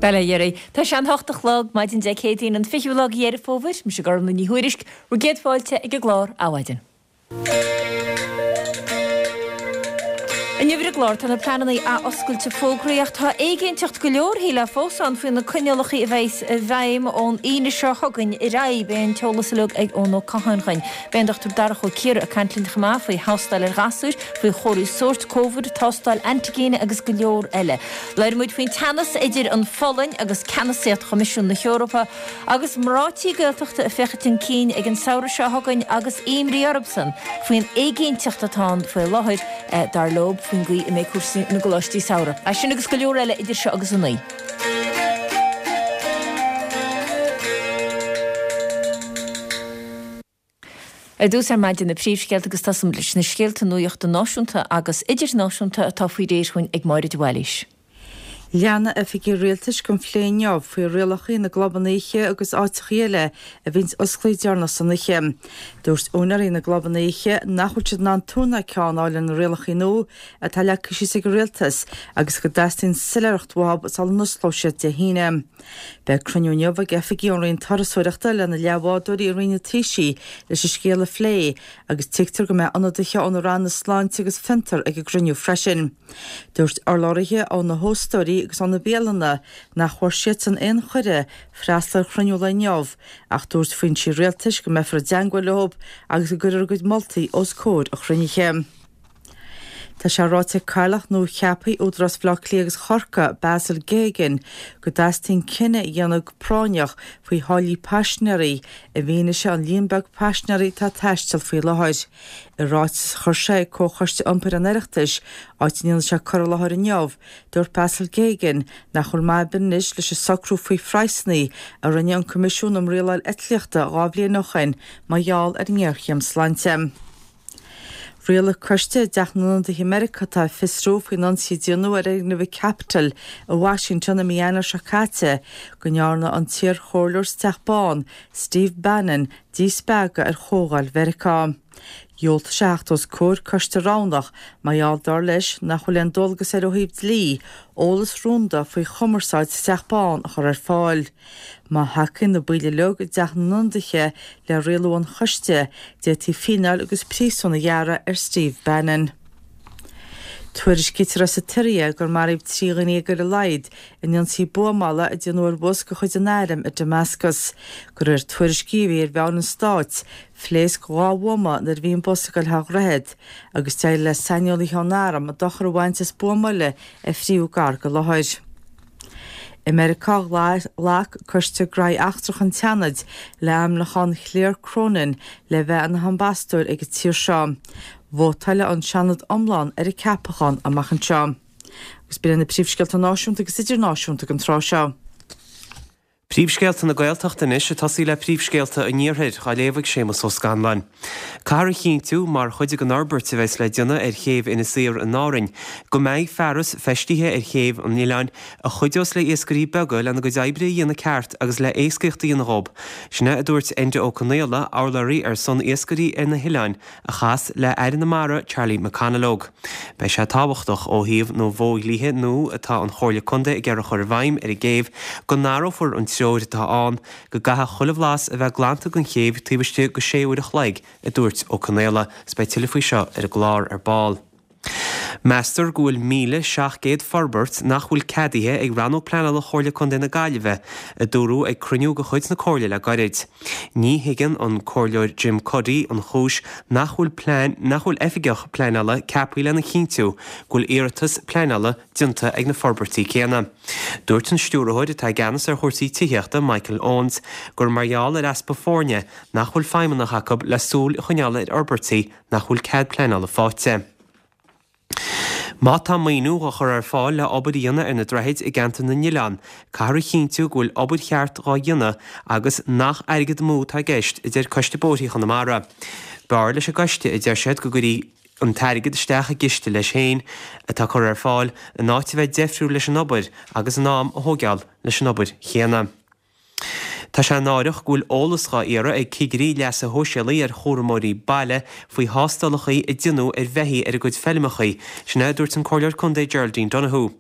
Bail ó Dhia oraibh. Tá sé an hocht a chlog, maidin Dé Céadaoin an 20ú lá de Dheireadh Fómhair. Mise Gormlaith Ní Thuairisg, bhur gcéad fáilte ag an gclár Adhmhaidin. Inniu ar an gclár tá na pleananna athoscailte fógraithe ach tá éiginnteacht go leor shílfeá fós ann faoi na coinníollacha a bheas i bhfeidhm ón Aoine seo chugainn ar aghaidh. Beidh an t-eolas uilig ag Eoin Ó Catháin chugainn. Beidh an Dr Darach Ó Ciardha ag caint linn chomh maith faoi thástáil ar ghasúir, faoi chomharthaí sóirt Covid, tástáil antigine agus go leor eile. Labhróidh muid faoin teannas idir an Pholainn agus ceannasaíocht Choimisiún na hEorpa. Agus mná tí Gaeltachta ag féachaint chun cinn ag an samhradh seo chugainn agus imní orthusan faoin éiginnteacht atá ann faoi láthair, dar leo, faoin gcaoi a mbeidh cúrsaí na gcoláistí samhraidh. É sin agus go leor eile idir seo agus a naoi. Ar dtús ar maidin na príomhscéalta agus tosóimid leis na scéalta nuachta náisiúnta agus idirnáisiúnta atá faoi réir chugainn ag Máire de Bhailís. Leanfaidh oifigigh rialtais den phlé inniu faoi rialacha na gclubanna oíche agus áiteachaí eile a bhíonns osclaithe deireanach san oíche. Dúirt úinéirí na gclubanna oíche nach bhfuil siad in ann tuar ná ceann a fháil ar na rialacha nua atá leagtha síos ag an rialtas agus go dteastaíonn soiléireacht uathu sula n-osclóidh siad Dé hAoine. Beidh cruinniú inniu ag oifigigh ón Roinn Turasóireachta le na leathbhádóirí i Roinn an Taoisigh leis an scéal a phlé agus tuigtear go mbeidh ionadaithe ó na ranna sláinte agus fiontar ag an gcruinniú freisin. Dúirt urlabhraithe ó na hóstóirí agus ó na bialanna nach bhfuair siadsan aon chuireadh freastal ar chruinniú lae inniu ach dúirt foinsí rialtais go mbeifear i dteangmháil leo agus go gcuirfear a gcuid moltaí os comhair an chruinnithe. Tá sé ráite ag Cathaoirleach nua-cheaptha Údarás Bhaile Átha Cliath agus Chorcaí, Basil Geoghegan, go dteastaíonn cinneadh a dhéanamh go práinneach faoi tháillí paisinéirí i bhfianaise an líon beag paisinéirí atá ag taisteal faoi láthair. I ráiteas a chuir sé ag Comhchoiste Iompair an Oireachtais, áit a ndéanfaidh sé cur i láthair inniu, dúirt Basil Geoghegan nach bhfuil maith ar bith anois leis an socrú faoi phraghsanna a rinne an Coimisiún um Rialáil Eitlíochta dhá bhliain ó shin mar gheall ar an ngéarchéim sláinte. Rialaigh coiste i dTeach na nIonadaithe i Meiriceá atá ag fiosrú faoin ionsaí a déanadh ar fhoirgneamh an Capitol i Washington i mí Eanáir seo caite go ndearna an t-iarchomhairleoir sa Teach Bán, Steve Bannon, díspeagadh ar Chomhdháil Mheiriceá. Dhiúltaigh sé theacht os comhair coiste roghnach mar gheall, dar leis, nach bhfuil aon dualgas air ó thaobh dlí, eolas rúnda faoi chumarsáid sa Teach Bán a chur ar fáil. Má thacaíonn na baill uilig i dTeach na nIonadaithe le rialú an choiste, d'fhéadfaí fíneáil agus príosún a ghearradh ar Steve Bannon. Tuairiscítear as an tSiria gur maraíodh 13 dhuine ar a laghad in ionsaí buamála a déanadh ar bhus de chuid an airm i Damascus. De réir tuairiscí a bhí ar mheáin an stáit, phléasc dhá bhuama nuair a bhí an bus ag dul thar dhroichead, agus d'éirigh le saineolaithe ón arm dochar a bhaint as buama eile a frítheadh gar don láthair. I Meiriceá, ghlac Coiste Graithí Eachtracha an tSeanaid le hainmniúchán Claire Cronin le bheith ina hambasadóir ag an tír seo. Vótálfaidh an Seanad iomlán ar an ceapachán amach anseo. Agus b'in iad na príomhscéalta náisiúnta agus idirnáisiúnta don tráth seo. Príomhscéalta na Gaeltachta anois, ag tosaí le príomhscéalta an Iarthair, á léamh ag Séamus Ó Scanláin. Caithfear a chinntiú, mar chuid den fhorbairt a bheas le déanamh ar chéibh Inis Oírr in Árainn, go mbeidh fearas feistithe ar chéibh an oileáin a chuideos le iascairí beaga lena gcuid oibre a dhéanamh ceart agus le éascaíocht a dhéanamh dhób. Sin é a dúirt Enda Ó Conaola, urlabhraí ar son iascairí ar na hoileáin, a chas le Aire na Mara Charlie McConalogue. Beidh sé tábhachtach, ó thaobh na bhfodhlíthe nua atá an Chomhairle Contae ag iarraidh a chur i bhfeidhm ar an gcéibh, go n-athrófar an treoir atá ann go gcaithfidh chuile bhlas a bheith glanta den chéibh taobh istigh de sé uair a chloig, a dúirt Ó Conaola. Is beidh tuilleadh faoi seo ar an gclár ar ball. Meastar go bhfuil 1,700 forbairt nach bhfuil ceadaithe ag Rannóg Pleanála Chomhairle Contae na Gaillimhe, a dúradh ag cruinniú de chuid na Comhairle le gairid. Ní thuigeann an Comhairleoir Jim Cuddy an chúis nach bhfuil plean nach bhfuil oifigeach pleanála ceaptha lena chinntiú go bhfuil iarratas pleanála déanta ag na forbairtí céanna. Dúirt an Stiúrthóir atá i gceannas ar chúrsaí tithíochta, Michael Owens, gur mar gheall ar easpa foirne nach bhfuil feidhmeannach acu le súil a choinneáil ar fhorbairtí nach bhfuil cead pleanála faighte. Má tá maoiniú dhá chur ar fáil le obair a dhéanamh ar na droichid i gceantar na nOileán, caithfear a chinntiú go bhfuil obair cheart dhá dhéanamh agus nach airgead amú atá i gceist, a deir Coiste Bóithre Chonamara. B'fhearr leis an gcoiste, a deir siad, go gcuirfí an t-airgead isteach i gciste leis féin atá curtha ar fáil, in áit a bheith deifriúil leis an obair agus an am a thóigeáil leis an obair chéanna. Tá sé náireach go bhfuil eolas dhá iarraidh ag cigirí leasa shóisialaigh ar chúramóirí baile faoi thástálacha a déanadh ar bheithígh ar a gcuid feilmeacha, sin é a dúirt an Comhairleoir Contae Geraldine Donohoe.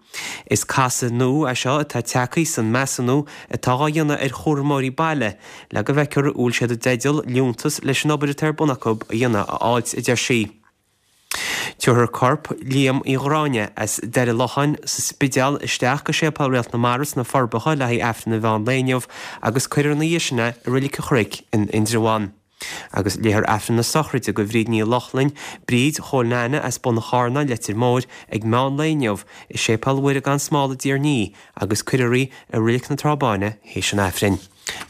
Is casadh nua é seo atá tagtha san measúnú atá dhá dhéanamh ar chúramóirí baile le go bhfeicfear an bhfuil siad i dteideal liúntas leis an obair atá ar bun acu a dhéanamh a fháilt, a deir sí. Tabharfar corp Liam Uí Ghráinne as Doire Locháin sa Spidéal isteach go Séipéal Réalt na Mara sna Forbacha le haghaidh Aifreann an mheán lae inniu agus cuirfear ina dhiaidh sin é i Reilig an Chnoic in Indreabhán. Agus léifear Aifreann na sochraide do Bhríd Ní Lochlainn, Bríd Chóil Neaine as Bun an Charnáin, Leitir Móir, ag meán lae inniu i Séipéal Mhuire gan Smál i dTír an Fhia agus cuirfear í i Reilig na Trá Báine théis an Aifrinn.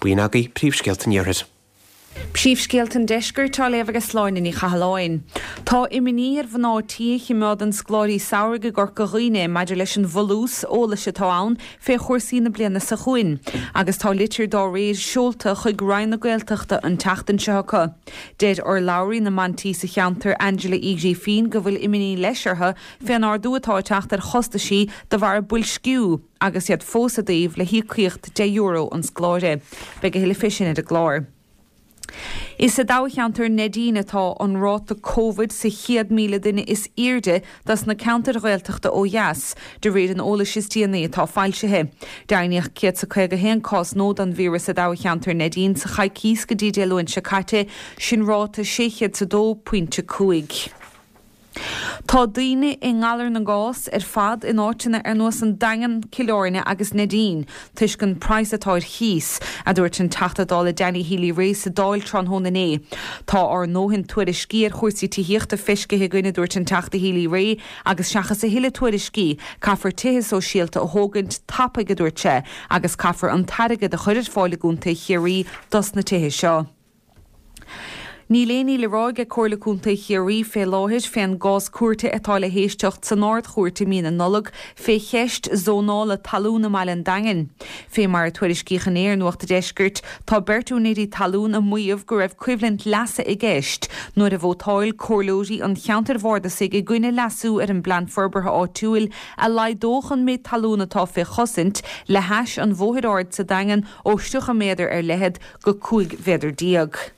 B'in agaibh príomhscéalta an Iarthair. Príomhscéalta an Deiscirt á léamh ag Sláine Ní Chathalláin. Tá imní ar mhná tí a chimeádann scoláirí samhraidh i gCorca Dhuibhne maidir leis an bhfolús eolais atá ann fé chúrsaí na bliana seo chugainn agus tá litir dá réir seolta chuig Roinn na Gaeltachta an tseachtain seo acu. Deir urlabhraí na mban tí sa cheantar Angela Uí Ghrífín go bhfuil imní leis orthu fén ardú atá ag teacht ar chostaisí de bharr boilsciú agus iad fós i dtaobh le híocaíocht €10 an scoláire. Beidh a thuilleadh fé sin ar an gclár. Is i dtoghcheantar Neidín atá an ráta Covid sa chéad 1,000 duine is aoirde dos na ceantair Ghaeltachta ó dheas, de réir an eolais is déanaí atá foilsithe. Deimhníodh 151 cás nua den víreas i dtoghcheantar Neidín sa choicíos go dtí Dé Luain seo caite, sin ráta 602.5. Tá daoine i ngalar na gcás ar fad in áiteanna ar nós an Daingean, Cill Airne agus Neidín toisc an praghas atá ar chíos, a dúirt an Teachta Dála Danny Healy-Rae sa Dáil tráthnóna inné. Tá ár ndóthain tuairiscí ar chúrsaí tithíochta feiscithe againn, a dúirt an Teachta Healy-Rae, agus seachas a thuilleadh tuairiscí, caithfear tithe sóisialta a thógaint tapaidh, a dúirt sé, agus caithfear an t-airgead a chur ar fáil i gContae Chiarraí dos na tithe seo. Níl aon ní le rá ag Comhairle Contae Chiarraí fé láthair fén gcás cúirte atá le héisteacht san Ard-Chúirt i mí na Nollag fé cheist zónála talún i mbaile an Daingin. Fé mar a tuairiscíodh inné ar Nuacht a' Deiscirt, tá beirt úinéirí talún ag maíomh go raibh coimhlint leasa i gceist nuair a vótáil comhairleoirí an cheantair bhardasaigh i gcoinne leasú ar an bPlean Forbartha Áitiúil a laghdódh an méid talún atá fé chosaint le hais an Bhóthair Aird sa Daingean ó 30 méadar ar leithead go 15 mhéadar.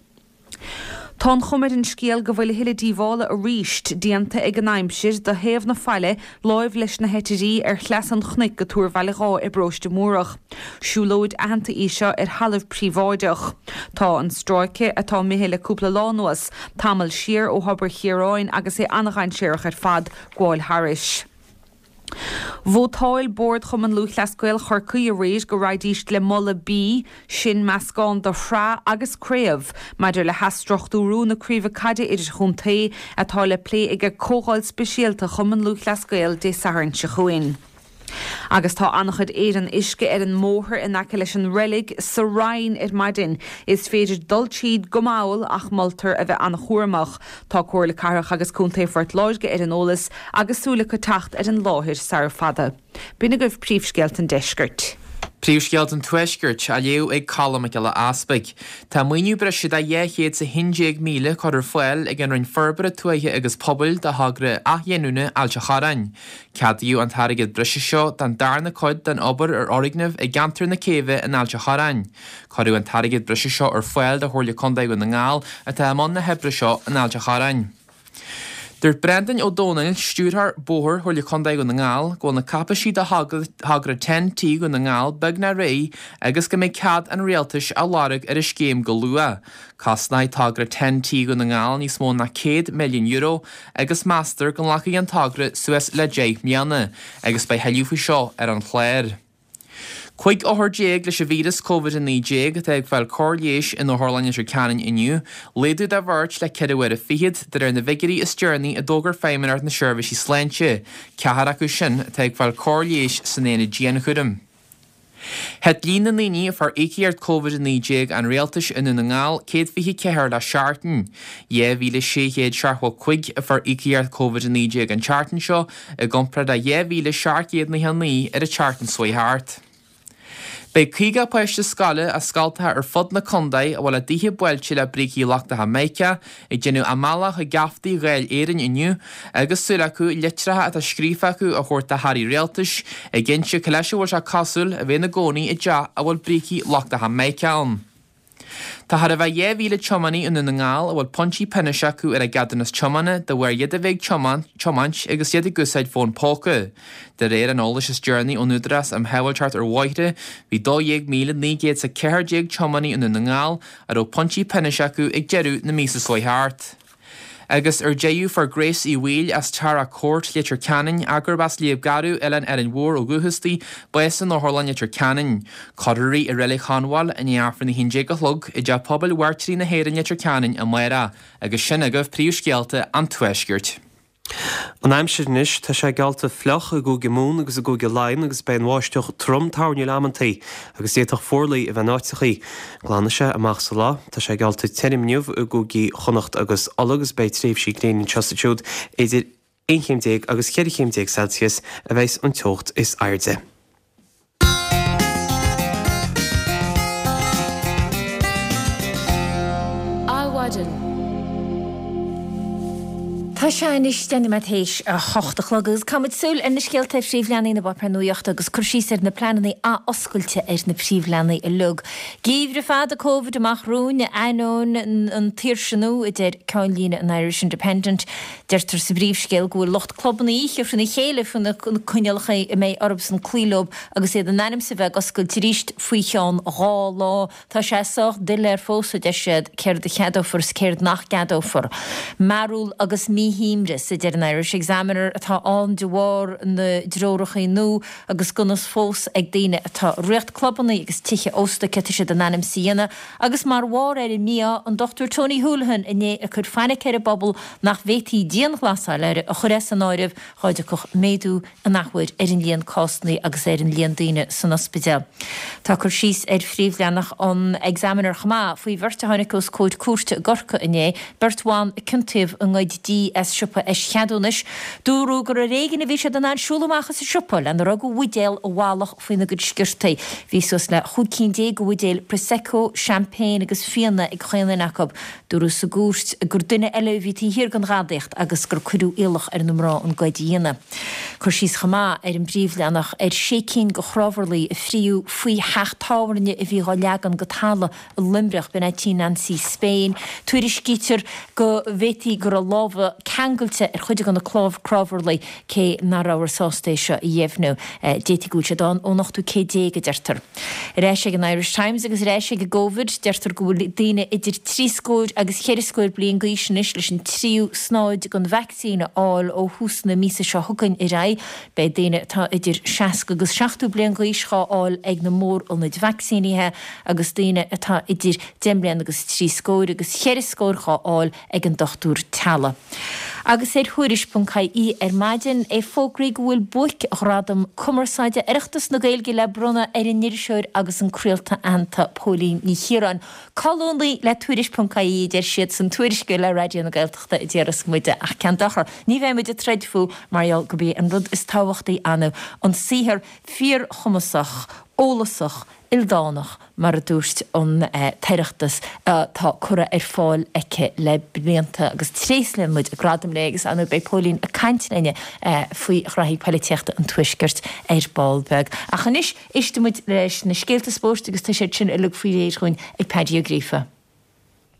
Tá an chuma ar an scéal go bhfuil a thuilleadh díobhála arís déanta ag an aimsir do thaobh na faille láimh leis na hEitirí ar Shleas an Chnoic go Tuar Bhaile Dháith i bparóiste Múrach. Siúlóid aitheanta í seo ar thalamh príobháideach. Tá an stráice, atá imithe le cúpla lá anuas, tamall siar ó Thobar Chiaráin agus é an-dhainséarach ar fad gabháil thairis. Vótáil Bord Chumann Lúthchleas Gael Chorcaí aréir go raghaidís le Moladh B, sin meascán de shraith agus craobh, maidir le hathstruchtúrú na craoibhe caide idirchontae, atá le plé ag Comhdháil Speisialta Chumann Lúthchleas Gael Dé Sathairn seo chugainn. Agus tá an-chuid éireann uisce ar an mbóthar in aice leis an reilig sa Rinn ar maidin. Is féidir dul tríd go mall ach moltar a bheith an-chúramach. Tá Comhairle Cathrach agus Contae Phort Láirge ar an eolas agus súil acu teacht ar an láthair sara fada. B'in agaibh príomhscéalta an deiscirt. Príomhscéalta an Tuaiscirt á léamh ag Colm Mac Giolla Easpaig. Tá maoiniú breise de 211,000 curtha ar fáil ag an Roinn Forbartha Tuaithe agus Pobail do thogra athghiniúna Ailt an Chorráin. Ceadaíodh an t-airgead breise seo don darna cuid den obair ar fhoirgneamh i gceantar na Céibhe in Ailt an Chorráin. Cuireadh an t-airgead breise seo ar fáil do Chomhairle Contae Dhún na nGall atá i mbun na hoibre seo in Ailt an Chorráin. Dúirt Breandán Ó Domhnaill, Stiúrthóir Bóthair Chomhairle Contae Dhún na nGall, go bhfuil na cáipeisí do thogra TEN-T Dhún na nGall beagnach réidh agus go mbeidh cead an Rialtais á lorg ar an scéim go luath. Cosnóidh togra TEN-T Dhún na nGall níos mó ná €100 milliún agus meastar go nglacfaidh an togra suas le 10 mbliana agus beidh thuilleadh faoi seo ar an chlár. 15 othar leis an víreas Covid-19 atá ag fáil cóir leighis in Otharlann Leitir Ceanainn inniu, laghdú de bheirt le ceithre huaire fichead, de réir na bhfigiúirí is deireanaí a d'fhógair Feidhmeannacht na Seirbhísí Sláinte, ceathrar acu sin atá ag fáil cóir leighis san aonad dianchúraim. Thit líon na ndaoine a fuair íocaíocht Covid-19 an Rialtais i nDún na nGall 124 le seachtain. 2,675 a fuair íocaíocht Covid-19 an tseachtain seo, i gcomparáid le 2,799 ar an tseachtain seo chuaigh thart. Beidh 50 páiste scoile as scoltacha ar fud na contae a bhfuil a dtithe buailte le brící lochtacha mica ag déanamh a mbealach chuig geaftaí Dháil Éireann inniu agus súil acu litreacha atá scríofa acu a thabhairt do hairí rialtais ag inse cé leis a bhfuil sé cosúil a bheith ina gcónaí i dteach a bhfuil brící lochtacha mica ann. Tá chóir a bheith 2,000 tiománaí i nDún na nGall a bhfuil pointí pionóis acu ar a gceadúnas tiomána de bharr iad a bheith ag tiomáint agus iad ag úsáid fón póca. De réir an eolais is deireanaí ón Údarás um Shábháilteacht ar Bhóithre, bhí 12,914 tiománaí i nDún na nGall a raibh pointí pionóis acu ag deireadh na míosa seo thart. Agus ar deireadh, fuair Grace Uí Bhaoill as Tara Court, Leitir Ceanainn, ach gurb as Léab Garbh, Oileán Árainn Mhór ó dhúchas di, bás in Otharlann Leitir Ceanainn. Cuirfear í i Reilig Chonbháil i ndiaidh Aifreann 11 a chlog i dTeach Pobail Mhairtírigh na hÉireann Leitir Ceanainn amárach. Agus sin agaibh príomhscéalta an Tuaiscirt. An aimsir anois, tá sé geallta fliuch i gCúige Mumhan agus i gCúige Laighean agus beidh an bháisteach trom toirniúil amantaí agus d'fhéadfadh fuarlaigh a bheith in áiteachaí. Glanfaidh sé amach sa lá. Tá sé geallta tirim inniu i gCúigí Chonnacht agus Uladh agus beidh tréimhsí gréine anseo is ansiúd. Idir 11 chéim agus 14 chéim Celsius a bheas an teocht is airde. Adhmhaidin. Tá sé anois 10 nóiméad théis a hocht a chlog agus caithfimid súil ar na scéalta ar phríomhleathanaigh na bpáipéar nuachta agus cur síos ar na pleananna athoscailte ar na príomhleathanaigh uilig. Geimhreadh fada Covid amach romhainn, ainneoin an tsaoirse nua, a deir ceannlíne an Irish Independent. Deirtear sa bpríomhscéal go bhfuil lucht clubanna oíche faoina chéile faoi na coinníollacha a mbeidh orthusan cloí leo agus iad in ainm is a bheith ag oscailt arís faoi cheann 2 lá. Tá sé sách doiléir fós, a deir siad, céard a cheadófar is céard nach gceadófar. Mearbhall agus míshuaimhneas, a deir an Irish Examiner, atá ann de bharr na dtreoracha nua agus gan fhios fós ag daoine atá ag rith clubanna agus tithe ósta céard tá siad in ainm is a dhéanamh Agus mar bharr ar an mí-ádh, an Dr Tony Holohan inné ag cur fainic ar an bpobal nach bhféadfaí dianghlasáil a chur as an áireamh dhá dtiocfadh méadú an athuair ar an líon cásanna agus ar an líon daoine san ospidéal. Tá cur síos ar phríomhleathanach an Examiner chomh maith faoi bheirt a tháinig os comhair cúirte i gCorcaigh inné, beirt bhan a ciontaíodh i ngoid dí as siopa eischeadúnais. Dúradh gur ar éigean a bhí siad in ann siúl amach as an siopa lena raibh de bhuidéal i bhfalach faoina gcuid sciortaí. Bhí suas le 15 cinn de bhuidéil Prosecco, Champagne agus fíona ag chaon duine acu. Dúradh sa gcúirt gur duine eile a bhí taobh thiar den ghadaíocht agus gur cuireadh iallach ar na mná an goid a dhéanamh. Cur síos chomh maith ar an bpríomhleathanach ar sé cinn de chnámharlaigh a fríodh faoi theach tábhairne a bhí dhá leagan go talamh i Luimneach, b'in é tí Nancy Spain. Tuairiscítear go bhféadfaí go raibh lámha ceangailte ar chuid de na cnámharlaigh, cé nach rabhthar sásta é seo a dheimhniú. D'fhéadfaí go bhfuil siad ann ón ochtú céad déag, a deirtear. Ar ais ag an Irish Times agus ar ais ag an gCovid, deirtear go bhfuil daoine idir trí scór agus cheithre scór bliain d'aois anois leis an tríú snáid den vacsaín a fháil ó thús na míosa seo chugainn ar aghaidh. Beidh daoine atá idir 60 agus 70 bliain d'aois dhá fháil ag na mórionaid vacsaínithe agus daoine atá idir 10 mbliana agus trí scór agus cheithre scór dhá fháil ag an dochtúir teaghlaigh. Agus ar Thuairisc.ie ar maidin é fógraíodh go bhfuil buaic-ghradam cumarsáide Oireachtas na Gaeilge le bronnadh ar an iriseoir agus an craolta aitheanta Póilín Ní Chiaráin. Colúnaí le Tuairisc.ie a deir siad san tuairisceoir le Raidió na Gaeltachta a déarfas muide ach cén dochar, ní bheidh muid ag troid fúthu mar gheall gurb é an rud is tábhachtaí ann an saothar fíorchumasach, eolasach, ildánach, mar a dúirt an tOireachtas, atá curtha ar fáil aici le blianta agus tréaslaíonn muid gradam léi agus ar ndóigh beidh Póilín ag caint linne faoi ghraithí poilitíochta an Tuaiscirt ar ball beag. Ach anois éistfidh muid leis na scéalta spóirt agus tá siad sin uilig faoi réir dhúinn ag Paddy Ó Gríofa.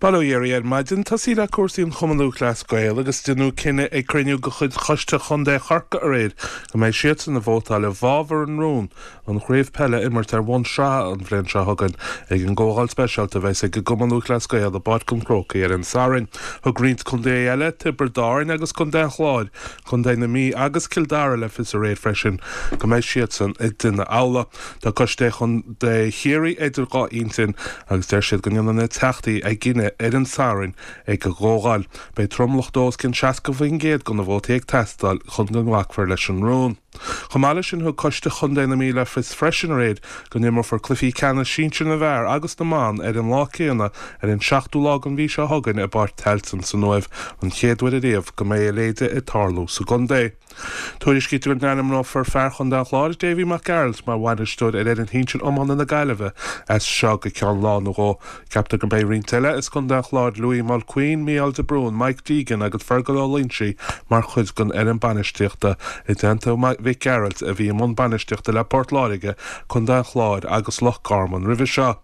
Bail ó Dhia oraibh ar maidin. Tosaí le cúrsaí an Chumann Lúthchleas Gael agus deineadh cinneadh ag cruinniú de chuid Choiste Chontae Chorcaí aréir go mbeidh siadsan ag vótáil i bhfabhar an rún an chraobh peile a imirt ar bhonn sraithe an bhliain seo chugainn ag an gcomhdháil speisialta a bheas ag an gCumann Lúthchleas Gael i bPáirc an Chrócaigh ar an Satharn. Thug roinnt contaetha eile, Tiobraid Árann agus Contae an Chláir, Contae na Mí agus Cill Dara le fios aréir freisin go mbeidh siadsan ag déanamh amhlaidh. Tá Coiste Chontae Chiarraí idir dhá intinn agus deir siad go ndéanfaidh na teachtaí a gcinneadh ar an Satharn ag an gcomhdháil. Beidh tromlach d'os cionn 60% de na vótaí ag teastáil chun go nglacfar leis an rún. Chomh maith leis sin, thug Coiste Chontae na Mí le fios freisin aréir go n-imreofar cluichí ceannais sinsir na bhfear agus na mban ar an lá céanna ar an seachtú lá den mhí seo chugainn i bPáirc Tailteann san Uaimh, an chéad uair ariamh go mbeidh a leithéid ag tarlú sa gcontae. Tuairiscítear go n-ainmneofar fear Chontae an Chláir, Davy Mac Gearailt, mar bhainisteoir ar fhoireann shinsir iomána na Gaillimhe as seo go ceann lá nó dhó. Ceaptar go mbeidh roinnt eile as Contae an Chláir, Louis Mulqueen, Mícheál de Brún, Mike Deegan agus Fergal Ó Loingsigh mar chuid den fhoireann bainistíochta, i dteannta Mhic Gearailt a bhí i mbun bainistíochta le Port Láirge, Contae an Chláir agus Loch Garman roimhe seo.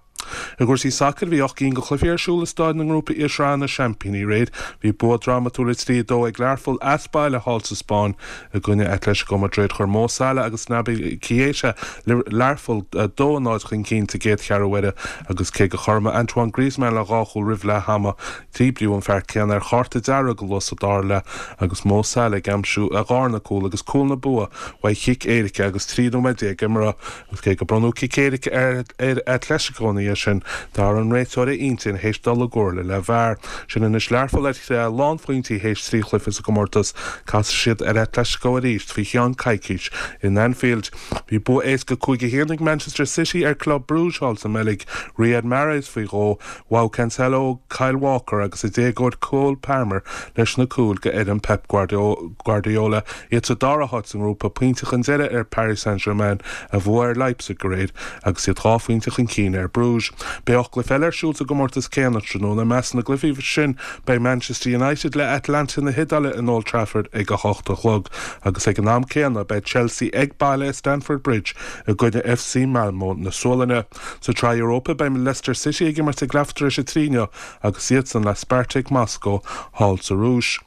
I gcúrsaí sacair, bhí 8 gcinn de chluichí ar siúl i staid na ngrúpaí i Sraith na Seaimpíní aréir. Bhí bua drámatúil 3-2 ag Learpholl as baile thall sa Spáinn i gcoinne Atletico Madrid. Chuir Mo Salah agus Naby Keita Learpholl 2-0 chun cinn sa gcéad cheathrú uaire agus cé gur chothromaigh Antoine Griezmann le dhá chúl roimh leath ama, díbríodh an fear céanna ar chárta dearg go luath sa dara leath agus Mo Salah ag aimsiú a dharna cúl agus cúl na bua uaidh chic éirice agus 13 nóiméad imeartha. Agus cé gur bronnadh cic éirice ar Atletico ina dhiaidh sin, d'athraigh an réiteoir a intinn théis dul i gcomhairle le VAR. Sin anois Learpholl ar thréith lánphointí théis 3 chluiche sa gcomórtas. Casfaidh siad ar Atletico arís faoi cheann coicís in Anfield. Bhí bua éasca 5-1 ag Manchester City ar Club Brugge thall sa mBeilg. Riyad Mahrez faoi dhó, João Cancelo, Kyle Walker agus a déagóir Cole Palmer leis na cúil go fhoireann Pep Guardiola. Iad sa dara háit sa ngrúpa, pointe chun deiridh ar Paris Saint-Germain a bhuaigh ar Leipzig aréir agus iad 2 phointe chun cinn ar Bruges. Beidh 8 gcluiche eile ar siúl sa gcomórtas céanna tráthnóna. I measc na gcluichí sin beidh Manchester United le Atalanta na hIodáile in Old Trafford ag a hocht a chlog agus ag an am céanna beidh Chelsea ag baile i Stamford Bridge i gcoinne FC Malmo na Sualainne. Sa tSraith Europa beidh Leicester City ag imirt ag leathuair tar éis a 3 inniu agus iadsan le Spartak Moscow thall sa Rúis.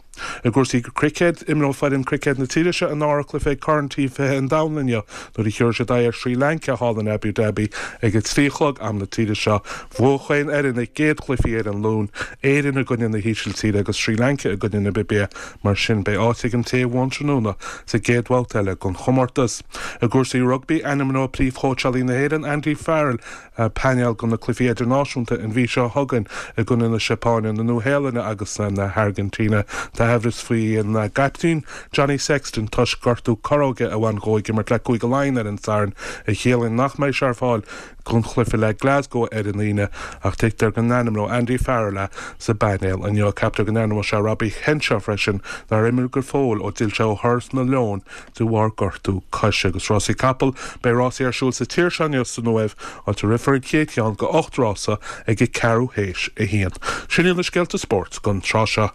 I gcúrsaí cruicéid, imreoidh foireann cruicéid na tíre seo a ndara cluiche ag Corn T20 an Domhain inniu nuair a thiúrfaidh siad aghaidh ar Srí Lanca thall in Abu Dhabi ag a 3 a chlog am na tíre seo. Bhuaigh chaon fhoireann a gcéad chluichí ar an Luan, Éirinn i gcoinne na hÍsiltíre agus Srí Lanca i gcoinne Namibia. Mar sin, beidh áit ag an té a bhuann tráthnóna sa gcéad bhabhta eile den chomórtas. I gcúrsaí rugbaí, ainmneoidh príomhchóitseálaí na hÉireann, Andy Farrell, painéal do na cluichí idirnáisiúnta an mhí seo chugainn i gcoinne na Seapáine, na Nua-Shéalainne agus na hAirgintíne. Tá aimhreas faoin gcaiptín, Johnny Sexton, toisc gortú corróige a bhain dhó ag imirt le Cúige Laighean ar an Satharn, a chiallaíonn nach mbeidh sé ar fáil don chluiche le Glasgow ar an Aoine ach tuigtear go n-ainmneoidh Andy Farrell é sa bpainéal inniu. Ceaptar go n-ainmneoidh sé Robbie Henshaw freisin, nár imir go fóill ó d'fhill sé ó thuras na Leon de bharr gortú coise. Agus rásaí capall, beidh rásaí ar siúl sa tír seo inniu san Uaimh, áit a rithfear an chéad cheann de 8 rása ag a ceathrú théis a haon. Sin iad na scéalta spóirt don tráth seo.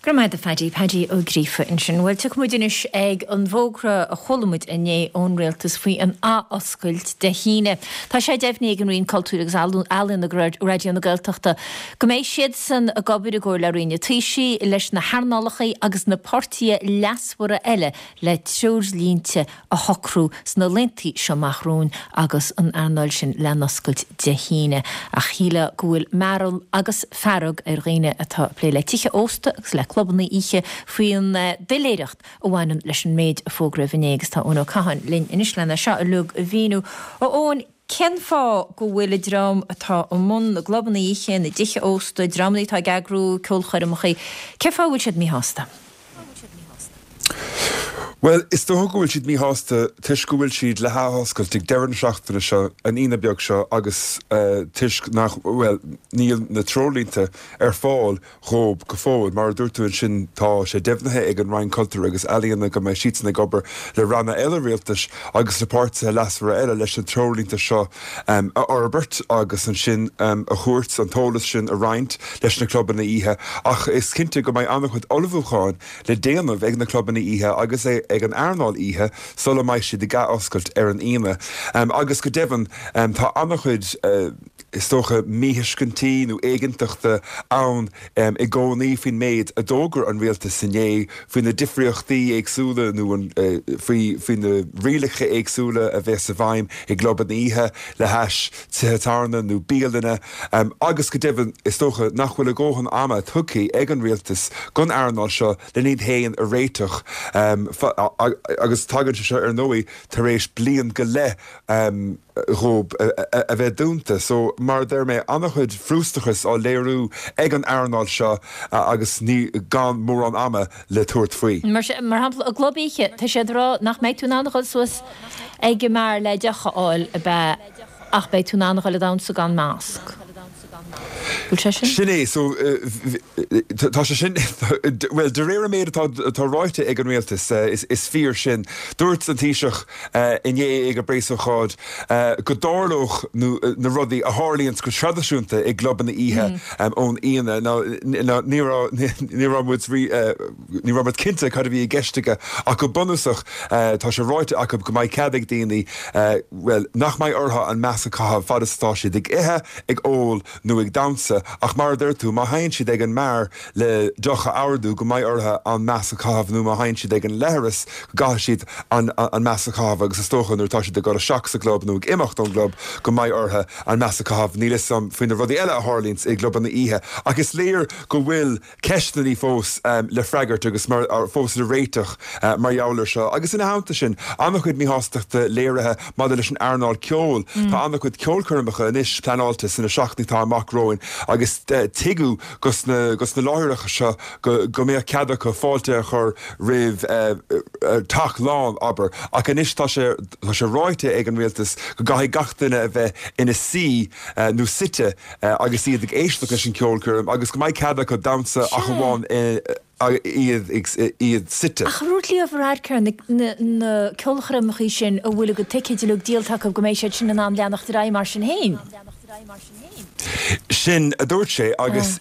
Go raibh maith agat a Phaddy, Paddy Ó Gríofa ansin. Bhuel, tiocfaidh muid anois ag an bhfógra a chuala muid inné ón Rialtas faoi an athoscailt Dé hAoine. Tá sé deimhnithe ag an Roinn Cultúir agus Ealaíon agus Raidió na Gaeltachta go mbeidh siadsan ag obair i gcomhar le Roinn an Taoisigh, leis na hearnálacha agus na páirtithe leasmhara eile le treoirlínte a shocrú sna laethanta seo amach romhainn agus an earnáil sin le n-oscailt Dé hAoine. Ach shílfeá go bhfuil mearbhall agus fearg ar dhaoine atá ag plé le tithe ósta agus le clubanna oíche faoin doiléireacht a bhaineann leis an méid a fógraíodh inné agus tá Eoin Ó Catháin linn anois lena seo uilig a mhíniú. A Eoin, cén fáth go bhfuil an dream atá i mbun na gclubanna oíche, na dtithe ósta, dreamanna atá ag eagrú ceolchoirmeacha, cén fáth a bhfuil siad míshásta? Bhuel, is dócha go bhfuil siad míshásta toisc go bhfuil siad le hathoscailt ag deireadh na seachtaine seo, an Aoine beag seo, agus toisc nach, bhuel, níl na treoirlínte ar fáil dhóibh go fóill. Mar a dúirt tú ansin, tá sé deimhnithe ag an Roinn Cultúir agus Ealaíona go mbeidh siadsan ag obair le ranna eile rialtais agus le páirtithe leasmhara eile leis na treoirlínte seo a fhorbairt agus ansin a thabhairt, an t-eolas sin a roinnt leis na clubanna oíche. Ach is cinnte go mbeidh an-chuid ullmhúcháin le déanamh ag na clubanna oíche agus ag an earnáil oíche sula mbeidh siad ag athoscailt ar an Aoine. Agus go deimhin, tá an-chuid, is dócha, míthuiscintí nó éiginnteachta ann i gcónaí faoin méid a d'fhógair an rialtas inné, faoi na difríochtaí éagsúla nó faoi faoi na rialacha éagsúla a bheas i bhfeidhm i gclubanna oíche le hais tithe tábhairne nó bialanna agus go deimhin is dócha nach bhfuil a dhóthain ama tugtha ag an rialtas don earnáil seo len iad féin a réiteach. Agus tagann sé seo ar ndóigh tar éis bliain go leith dhóib a bheith dúnta. So, mar a deir mé, an-chuid frustrachais á léiriú ag an earnáil seo agus ní gan mórán ama le tabhairt faoi. Mar shampla, i gclub oíche, tá siad ag rá nach mbeidh tú in ann a dhul suas ag an mbeár le deoch a fháil, ab ea? Ach beidh tú in ann a dhul ag damhsa gan masc. Bhfuil sé sin? Sin é, so, tá sé sin, bhuel, de réir an méid atá, atá ráite ag an rialtas, is fíor sin. Dúirt an Taoiseach inné ag an bpreasócáid go dtarlódh na rudaí a tharlaíonns go traidisiúnta i gclubanna oíche ón Aoine. Now, ní raibh, ní raibh muid, ní raibh muid cinnte cad a bhí i gceist aige ach go bunúsach tá sé ráite acu go mbeidh cead ag daoine, bhuel, nach mbeidh orthu an masc a chaitheamh fad is atá siad ag ithe, ag ól nó ag damhsa ach mar a deir tú, má théann siad ag an mbeár le deoch a ordú go mbeidh orthu an masc a chaitheamh nó má théann siad ag an leithreas go gcaithfidh siad an an masc a chaitheamh agus is dócha nuair atá siad ag dul isteach sa gclub nó ag imeacht ón gclub go mbeidh orthu an masc a chaitheamh. Níl fhios a'm faoi na rudaí eile a tharlaíonns i gclubanna oíche ach is léir go bhfuil ceisteanna fós le freagairt agus mar fós le réiteach mar gheall air seo. Agus ina theannta sin, an-chuid míshástachta léirithe maidir leis an earnáil ceoil. Tá an-chuid ceolchoirmeacha anois pleanáilte sna seachtainí atá amach romhainn agus tuigeadh dos na dos na láithreacha seo go go mbeadh cead acu fáilte a chur roimh teach lán, abair. Ach anois tá sé tá sé ráite ag an rialtas go gcaithfidh gach duine a bheith ina suí nó suite agus iad ag éisteacht leis an cheolchoirm agus go mbeidh cead acu damhsa ach amháin iad iad suite. Ach dúirt Leo Varadkar na na ceolchoirmeacha sin a bhfuil a gcuid ticéid uilig díolta acu go mbeidh siad sin in ann leanacht ar aghaidh mar sin féin. Sin a dúirt sé agus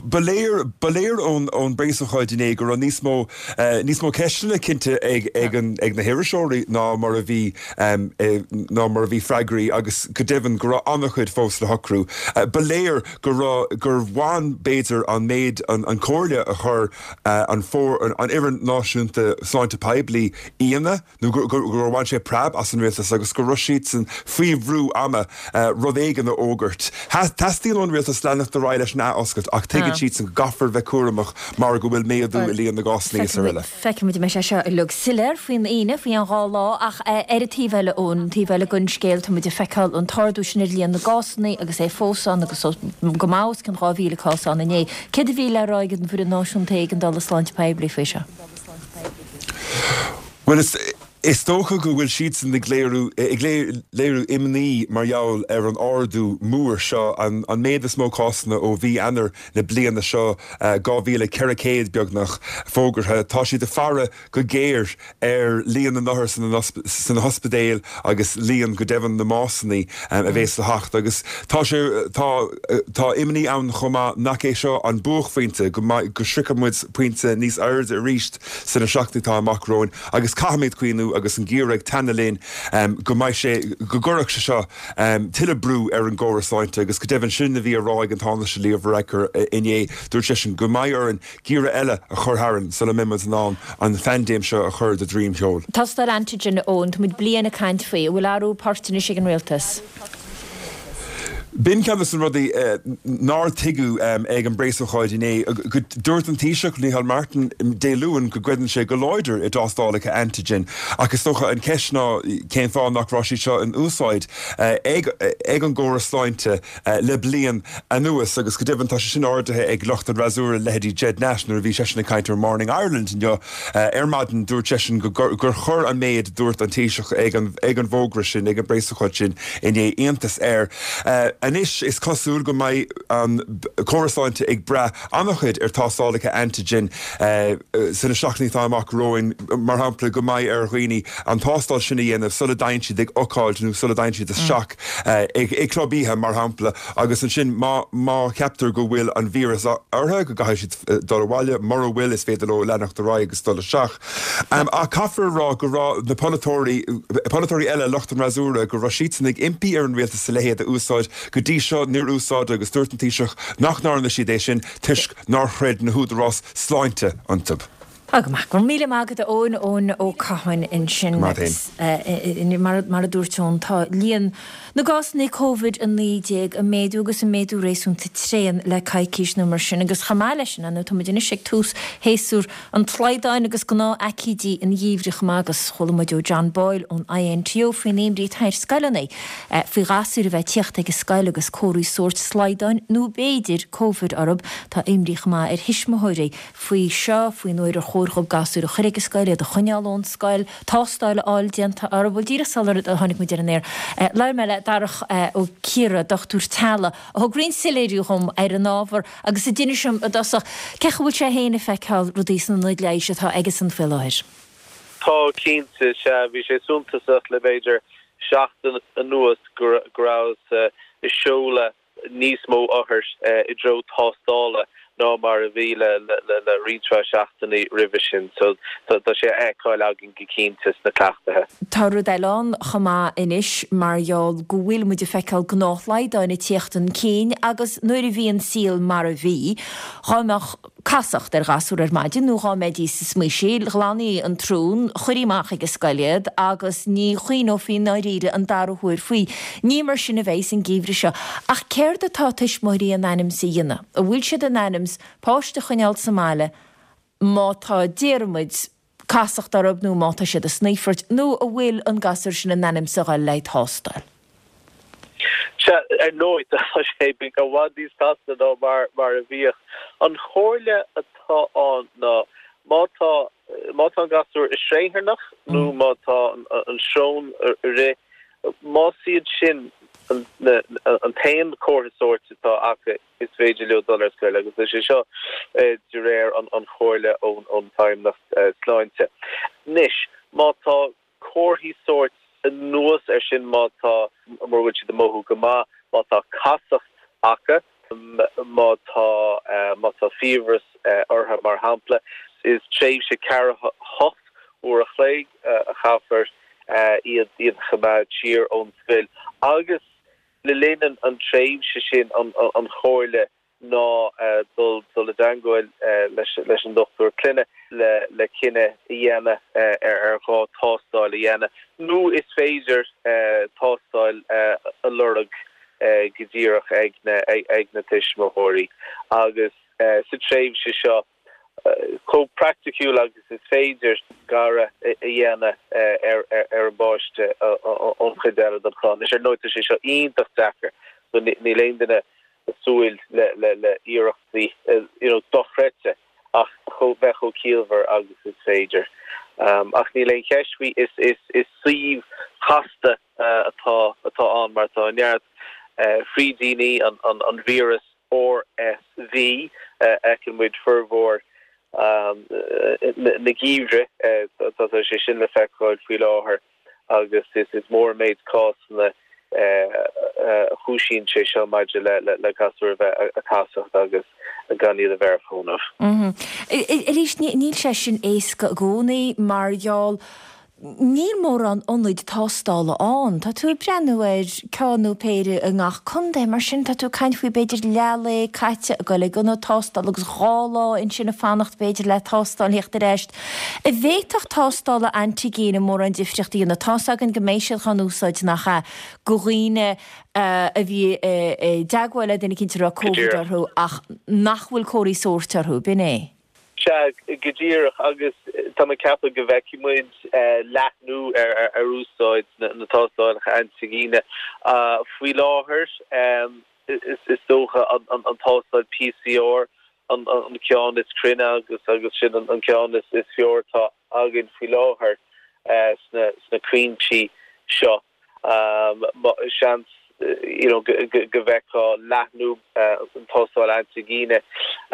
ba léir ba léir ón ón bpreasócáid inné go raibh níos mó níos mó ceisteanna cinnte ag ag an ag na hiriseoirí ná mar a bhí ná mar a bhí freagraí agus go deimhin go raibh an-chuid fós le socrú. Ba léir go raibh, gur bhain b'fhéidir an méid, an chomhairle a chuir an an Fhoireann Náisiúnta Sláinte Poiblí ionadh nó gur bhain sé preab as an rialtas agus go raibh siadsan faoi bhrú ama rud éigin a fhógairt. Teastaíonn ón rialtas leanacht ar aghaidh leis an athoscailt ach tuigeann siadsan go gcaithfear bheith cúramach mar go bhfuil méadú i líon na gcásanna is araile. Feicfidh muid an mbeidh sé seo uilig soiléir faoin Aoine, faoi cheann 2 lá, ach ar an taobh eile, ón taobh eile den scéal, tá muid ag feiceáil an t-ardú sin ar líon na gcásanna agus é fós ann agus go maith os cionn 2,000 cás ann inné. Céard a bhí le rá ag an bhFoireann Náisiúnta Éigeandála Sláinte Poiblí faoi seo? Bhuel, is. Is dócha go bhfuil siadsan ag léiriú ag léiriú imní mar gheall ar an ardú mór seo, an méid is mó cásanna ó mhí Eanáir na bliana seo, 2,400 beagnach fógartha. Tá siad ag faire go géar ar líon na n-othar sna hospidéil agus líon, go deimhin, na mbásanna a bhéas le theacht. Agus tá sé tá tá imní ann chomh maith nach é seo an buaicphointe, go mbeidh go sroichfidh muid pointe níos airde arís sna seachtainí atá amach romhainn. Agus caithfimid cuimhniú, agus an geimhreadh ag teannadh linn, go mbeidh sé, go gcuirfeadh sé seo tuilleadh brú ar an gcóras sláinte agus go deimhin sin a bhí á rá ag an Tánaiste Leo Varadkar inné. Dúirt seisean go mbeidh orainn geimhreadh eile a chur tharainn sula mbeidh muid in ann an phaindéim seo a chur de dhroim sheoil. Tástáil antigen, Eoin, tá muid bliain ag caint faoi. An bhfuil athrú poirt anois ag an rialtas? B'in ceann de na rudaí nár tuigeadh ag an bpreasócáid inné. Dúirt an Taoiseach, Micheál Martin, Dé Luain go gcreideann sé go láidir i dtástálacha antigen ach is dócha an cheist ná cén fáth nach raibh siad seo in úsáid ag an gcóras sláinte le bliain anuas agus go deimhin tá sé sin ardaithe ag lucht an fhreasúra, leithéidí Ged Nash nuair a bhí seisean ag caint ar Morning Ireland inniu ar maidin dúirt seisean gur chuir an méid a dúirt an Taoiseach ag an bhfógra sin, ag an bpreasócáid sin, inné iontas air. Anois is cosúil go mbeidh an córas sláinte ag brath an-chuid ar tástálacha antigen sna seachtainí atá amach romhainn, mar shampla go mbeidh ar dhaoine an tástáil sin a dhéanamh sula dtéann siad ag ócáid nó sula dtéann siad isteach ag club oíche, mar shampla, agus ansin má cheaptar go bhfuil an víreas orthu go gcaithfidh siad dul abhaile, mura bhfuil is féidir leo leanacht ar aghaidh agus dul isteach. Ach caithfear a rá go raibh na polaiteoirí, polaiteoirí eile, lucht an fhreasúra, go raibh siadsan ag impí ar an rialtas a leithéid a úsáid. Go dtí seo níor úsáideadh agus dúirt an Taoiseach nach ndearna siad é sin toisc nár chreid na húdaráis sláinte iontu. Tá go maith. Go raibh míle maith agat a Eoin, Eoin Ó Catháin ansin. Go maith féin. Mar a dúirt Eoin, tá líon na gcásanna Covid-19 ag méadú agus ag méadú réasúnta tréan le coicís nó mar sin agus chomh maith leis sin, ar ndóigh, tá muid anois ag tús shéasúr an tslaghdáin agus gnáth-aicídí an gheimhridh chomh maith agus chuala muid ó John Boyle ón INTO faoin imní atá ar scoileanna faoi ghasúir a bheith ag tíocht ag an scoil agus comharthaí sóirt slaghdáin nó b'fhéidir Covid orthu. Tá imní chomh maith ar thuismitheoirí faoi seo, faoin uair ar chóir dhóibh gasúir a chur ag an scoil, iad a choinneáil ón scoil, tástáil a fháil déanta orthu. Bhuel, díreach sular tháinig muid ar an aer, labhair mé le Darach Ó Ciardha, dochtúir teaghlaigh, a thug roinnt soiléiriú dhom ar an ábhar agus a d'inis dom i dtosach cén chaoi a bhfuil sé féin ag feiceáil rudaí sna hionaid leighis atá aigesan faoi láthair. Tá, cinnte, sea. Bhí sé suntasach le b'fhéidir seachtain anuas go rabhthas ag seoladh níos mó othar i dtreo tástála ná mar a bhí le roinnt mhaith seachtainí roimhe sin. So tá sé á fheiceáil againn go cinnte sna cleachtaithe. Tá rud eile ann chomh maith anois mar gheall go bhfuil muid ag feiceáil gnáthshlaghdáin ag tíocht chun cinn agus nuair a bhí an saol mar a bhí, dhá mbeadh casacht ar ghasúr ar maidin nó dhá mbeidís ag smaoisíl, ghlanfaí an tsrón, chuirfí amach ag an scoil iad agus ní chuimhneofaí i ndáiríre an dara huair faoi. Ní mar sin a bheidh an geimhreadh seo. Ach céard atá tuismitheoirí in ainm's a dhéanamh? An bhfuil siad in ainm's páiste a choinneáil sa mbaile má tá, déarfaimid, casacht orthu nó má tá siad ag snoífairt, nó an bhfuil an gasúr sin in ainm's a dhul le tástáil? Sea, ar ndóigh, tá sé i bhfad níos casta ná mar a bhíodh. An chomhairle atá ann ná má tá, má tá an gasúr ag sraotharnach nó má tá an srón ag rith, más iad sin an t-aon chomhartha sóirt atá acu, is féidir leo dul ar scoil agus tá sé seo de réir an chomhairle ón Feidhmeannacht Sláinte. Anois, má tá comharthaí sóirt anuas air sin, má tá, mura bhfuil siad ag mothú go maith, má tá casacht acu, má tá, má tá fiabhras orthu mar shampla, is tréimhse ceathracha hocht uair a chloig a chaithfear iad iad a choimeád siar ón scoil agus Le linn an tréimhse sin an chomhairle ná dul dul i dteangmháil leis an dochtúir clainne le cinneadh a dhéanamh ar ghá tástáil a dhéanamh nó is féidir tástáil a lorg go díreach ag na tuismitheoirí agus sa tréimhse seo chomh praiticiúil agus is féidir scaradh a dhéanamh ar an bpáiste ón chuid eile den chlann. Anois, ar ndóigh, tá sé seo iontach deacair, so níl aon duine ag súil le hiarrachtaí you know dochreidte ach bheith chomh ciallmhar agus is féidir. Ach níl aon cheist faoi, is suíomh casta atá ann mar tá neart frídíní an víreas RSV, fheiceann muid formhór na geimhridh, tá sé sin le feiceáil faoi láthair agus is mór an méid cásanna a chúisíonn sé seo maidir le gasúir a bheith ag casacht agus gan iad a bheith ar fónamh. Arís, níl sé sin éasca i gcónaí mar gheall Níl mórán ionaid tástála ann. Tá tú ag breathnú ar ceann nó péire i ngach contae, mar sin tá tú ag caint faoi b'fhéidir leath lae caite ag dul ag ionad tástála agus 2 lá ansin ag fanacht b'fhéidir le tástáil a theacht ar ais. An bhféadfadh tástála antigine mórán difríocht a dhéanamh? Tá's againn go mbeidh siad dhá n-úsáid nach ea, do dhaoine a bhí i dteagmháil le duine eicínt a raibh Covid orthu ach nach bhfuil comharthaí sóirt orthu, b'in é? Sea, go díreach, agus tá mé ag ceapadh go bhfeicfidh muid leathnú ar úsáid na tástálacha antaigine. Faoi láthair, is dócha an tástáil PCR an ceann is cruinne agus agus sin an ceann is fearr atá againn faoi láthair sna cúinsí seo. Seans you know go bhfeicfeá leathnú an tástáil antaigine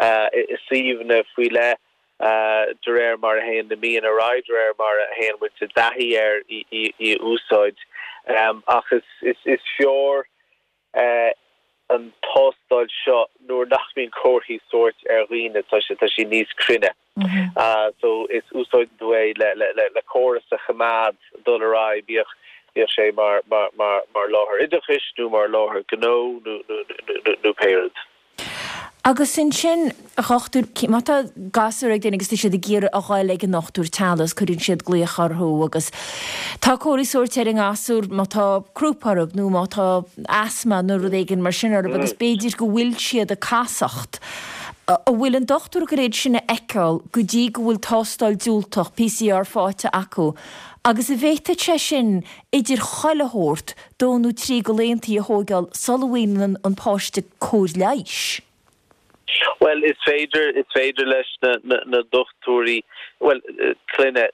i suíomhanna faoi leith de réir mar a théann na míonna ar aghaidh, de réir mar a théann muid i dtaithí ar í a úsáid. Ach is fearr an tástáil seo nuair nach mbíonn comharthaí sóirt ar dhaoine, tá sé tá sé níos cruinne. So is úsáideann tú é le le le córas a choimeád dul ar aghaidh, bíodh bíodh sé mar mar mar mar láthair oideachais nó mar láthair gnó nó nó nó nó pé rud. Agus ansin, a dhochtúir, má tá gasúr ag duine agus tá siad ag iarraidh a ghoil ag an ndochtúir teaghlaigh agus cuireann siad glaoch orthu agus tá comharthaí sóirt ar an ngasúr má tá crúp orthu nó má tá asma nó rud éigin mar sin orthu agus b'fhéidir go bhfuil siad ag casacht. An bhfuil an dochtúir ag goil iad sin a fheiceáil go dtí go bhfuil tástáil diúltach, PCR, faighte acu agus an bhféadfadh sé sin idir chuile shórt dó nó trí de laethantaí a thóigeáil sula bhfaigheann an páiste cóir leighis. Bhuel, is féidir, is féidir leis na, na dochtúirí, bhuel, clainne,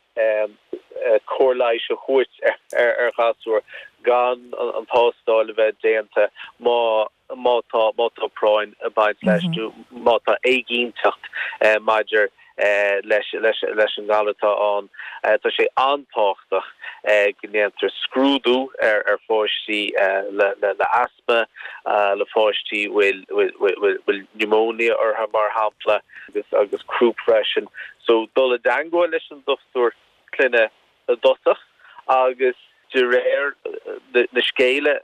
cóir leighis a thabhairt ar, ar ghasúr gan an tástáil a bheith déanta má, má tá, má tá práinn ag baint leis nó má tá éiginnteacht maidir leis, leis, leis an ngalar atá ann. Tá sé an-tábhachtach go ndéantar scrúdú ar, ar pháistí le, le, le asma, le pháistí a bhfuil, bhfuil, bhfuil pneumonia orthu mar shampla agus, agus crúp freisin. So dul i dteangmháil leis an dochtúir clainne i dtosach agus de réir na scéala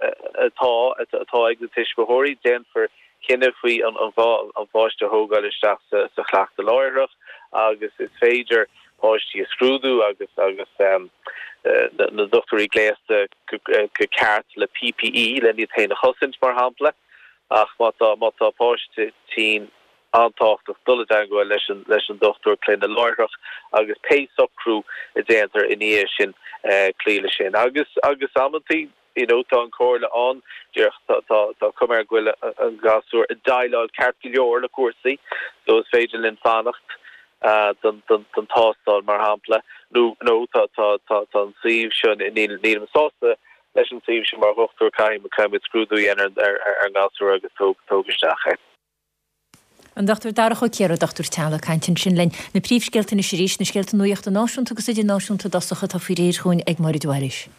atá, atá ag na tuismitheoirí, déanfar cinneadh faoi an gá an pháiste a thógáil isteach sa, sa chleachtadh láithreach agus is féidir páistí a scrúdú agus agus na dochtúirí gléasta go ceart le PPE len iad féin a chosaint, mar shampla. Ach má tá má tá páiste tinn, an-tábhachtach dul i dteagmháil leis an leis an dochtúir clainne láithreach agus pé socrú a déantar ina dhiaidh sin cloí leis sin. Agus agus amantaí you know tá an comhairle ann díreach tá tá tá cuma air go bhfuil an gasúr ag déileáil ceart go leor le cúrsaí so is féidir linn fanacht don don don tástáil mar shampla nó nó tá tá tá tá an suíomh seo níl nílim sásta leis an suíomh seo mar dhochtúir caithfidh caithfidh muid scrúdú a dhéanamh ar ar ar an ngasúr agus tóg tóg isteach é. An Dr Darach Ó Ciardha, dochtúir teaghlaigh, ag caint ansin linn. Na príomhscéalta anois arís, na scéalta nuachta náisiúnta agus idirnáisiúnta i dtosach atá faoi réir chugainn ag Máire de Bhailís.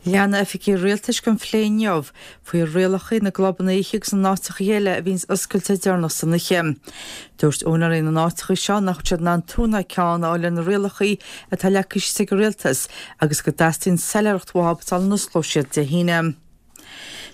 Leanfaidh oifigigh rialtais den phlé inniu faoi rialacha na gclubanna oíche agus na n-áiteacha eile a bhíonns oscailte deireanach san oíche. Dúirt úinéirí na n-áiteacha seo nach bhfuil siad in ann tuin ná ceann a fháil ar na rialacha atá leagtha síos ag an rialtas agus go dteastaíonn soiléireacht uathu sula n-osclóidh siad Dé hAoine.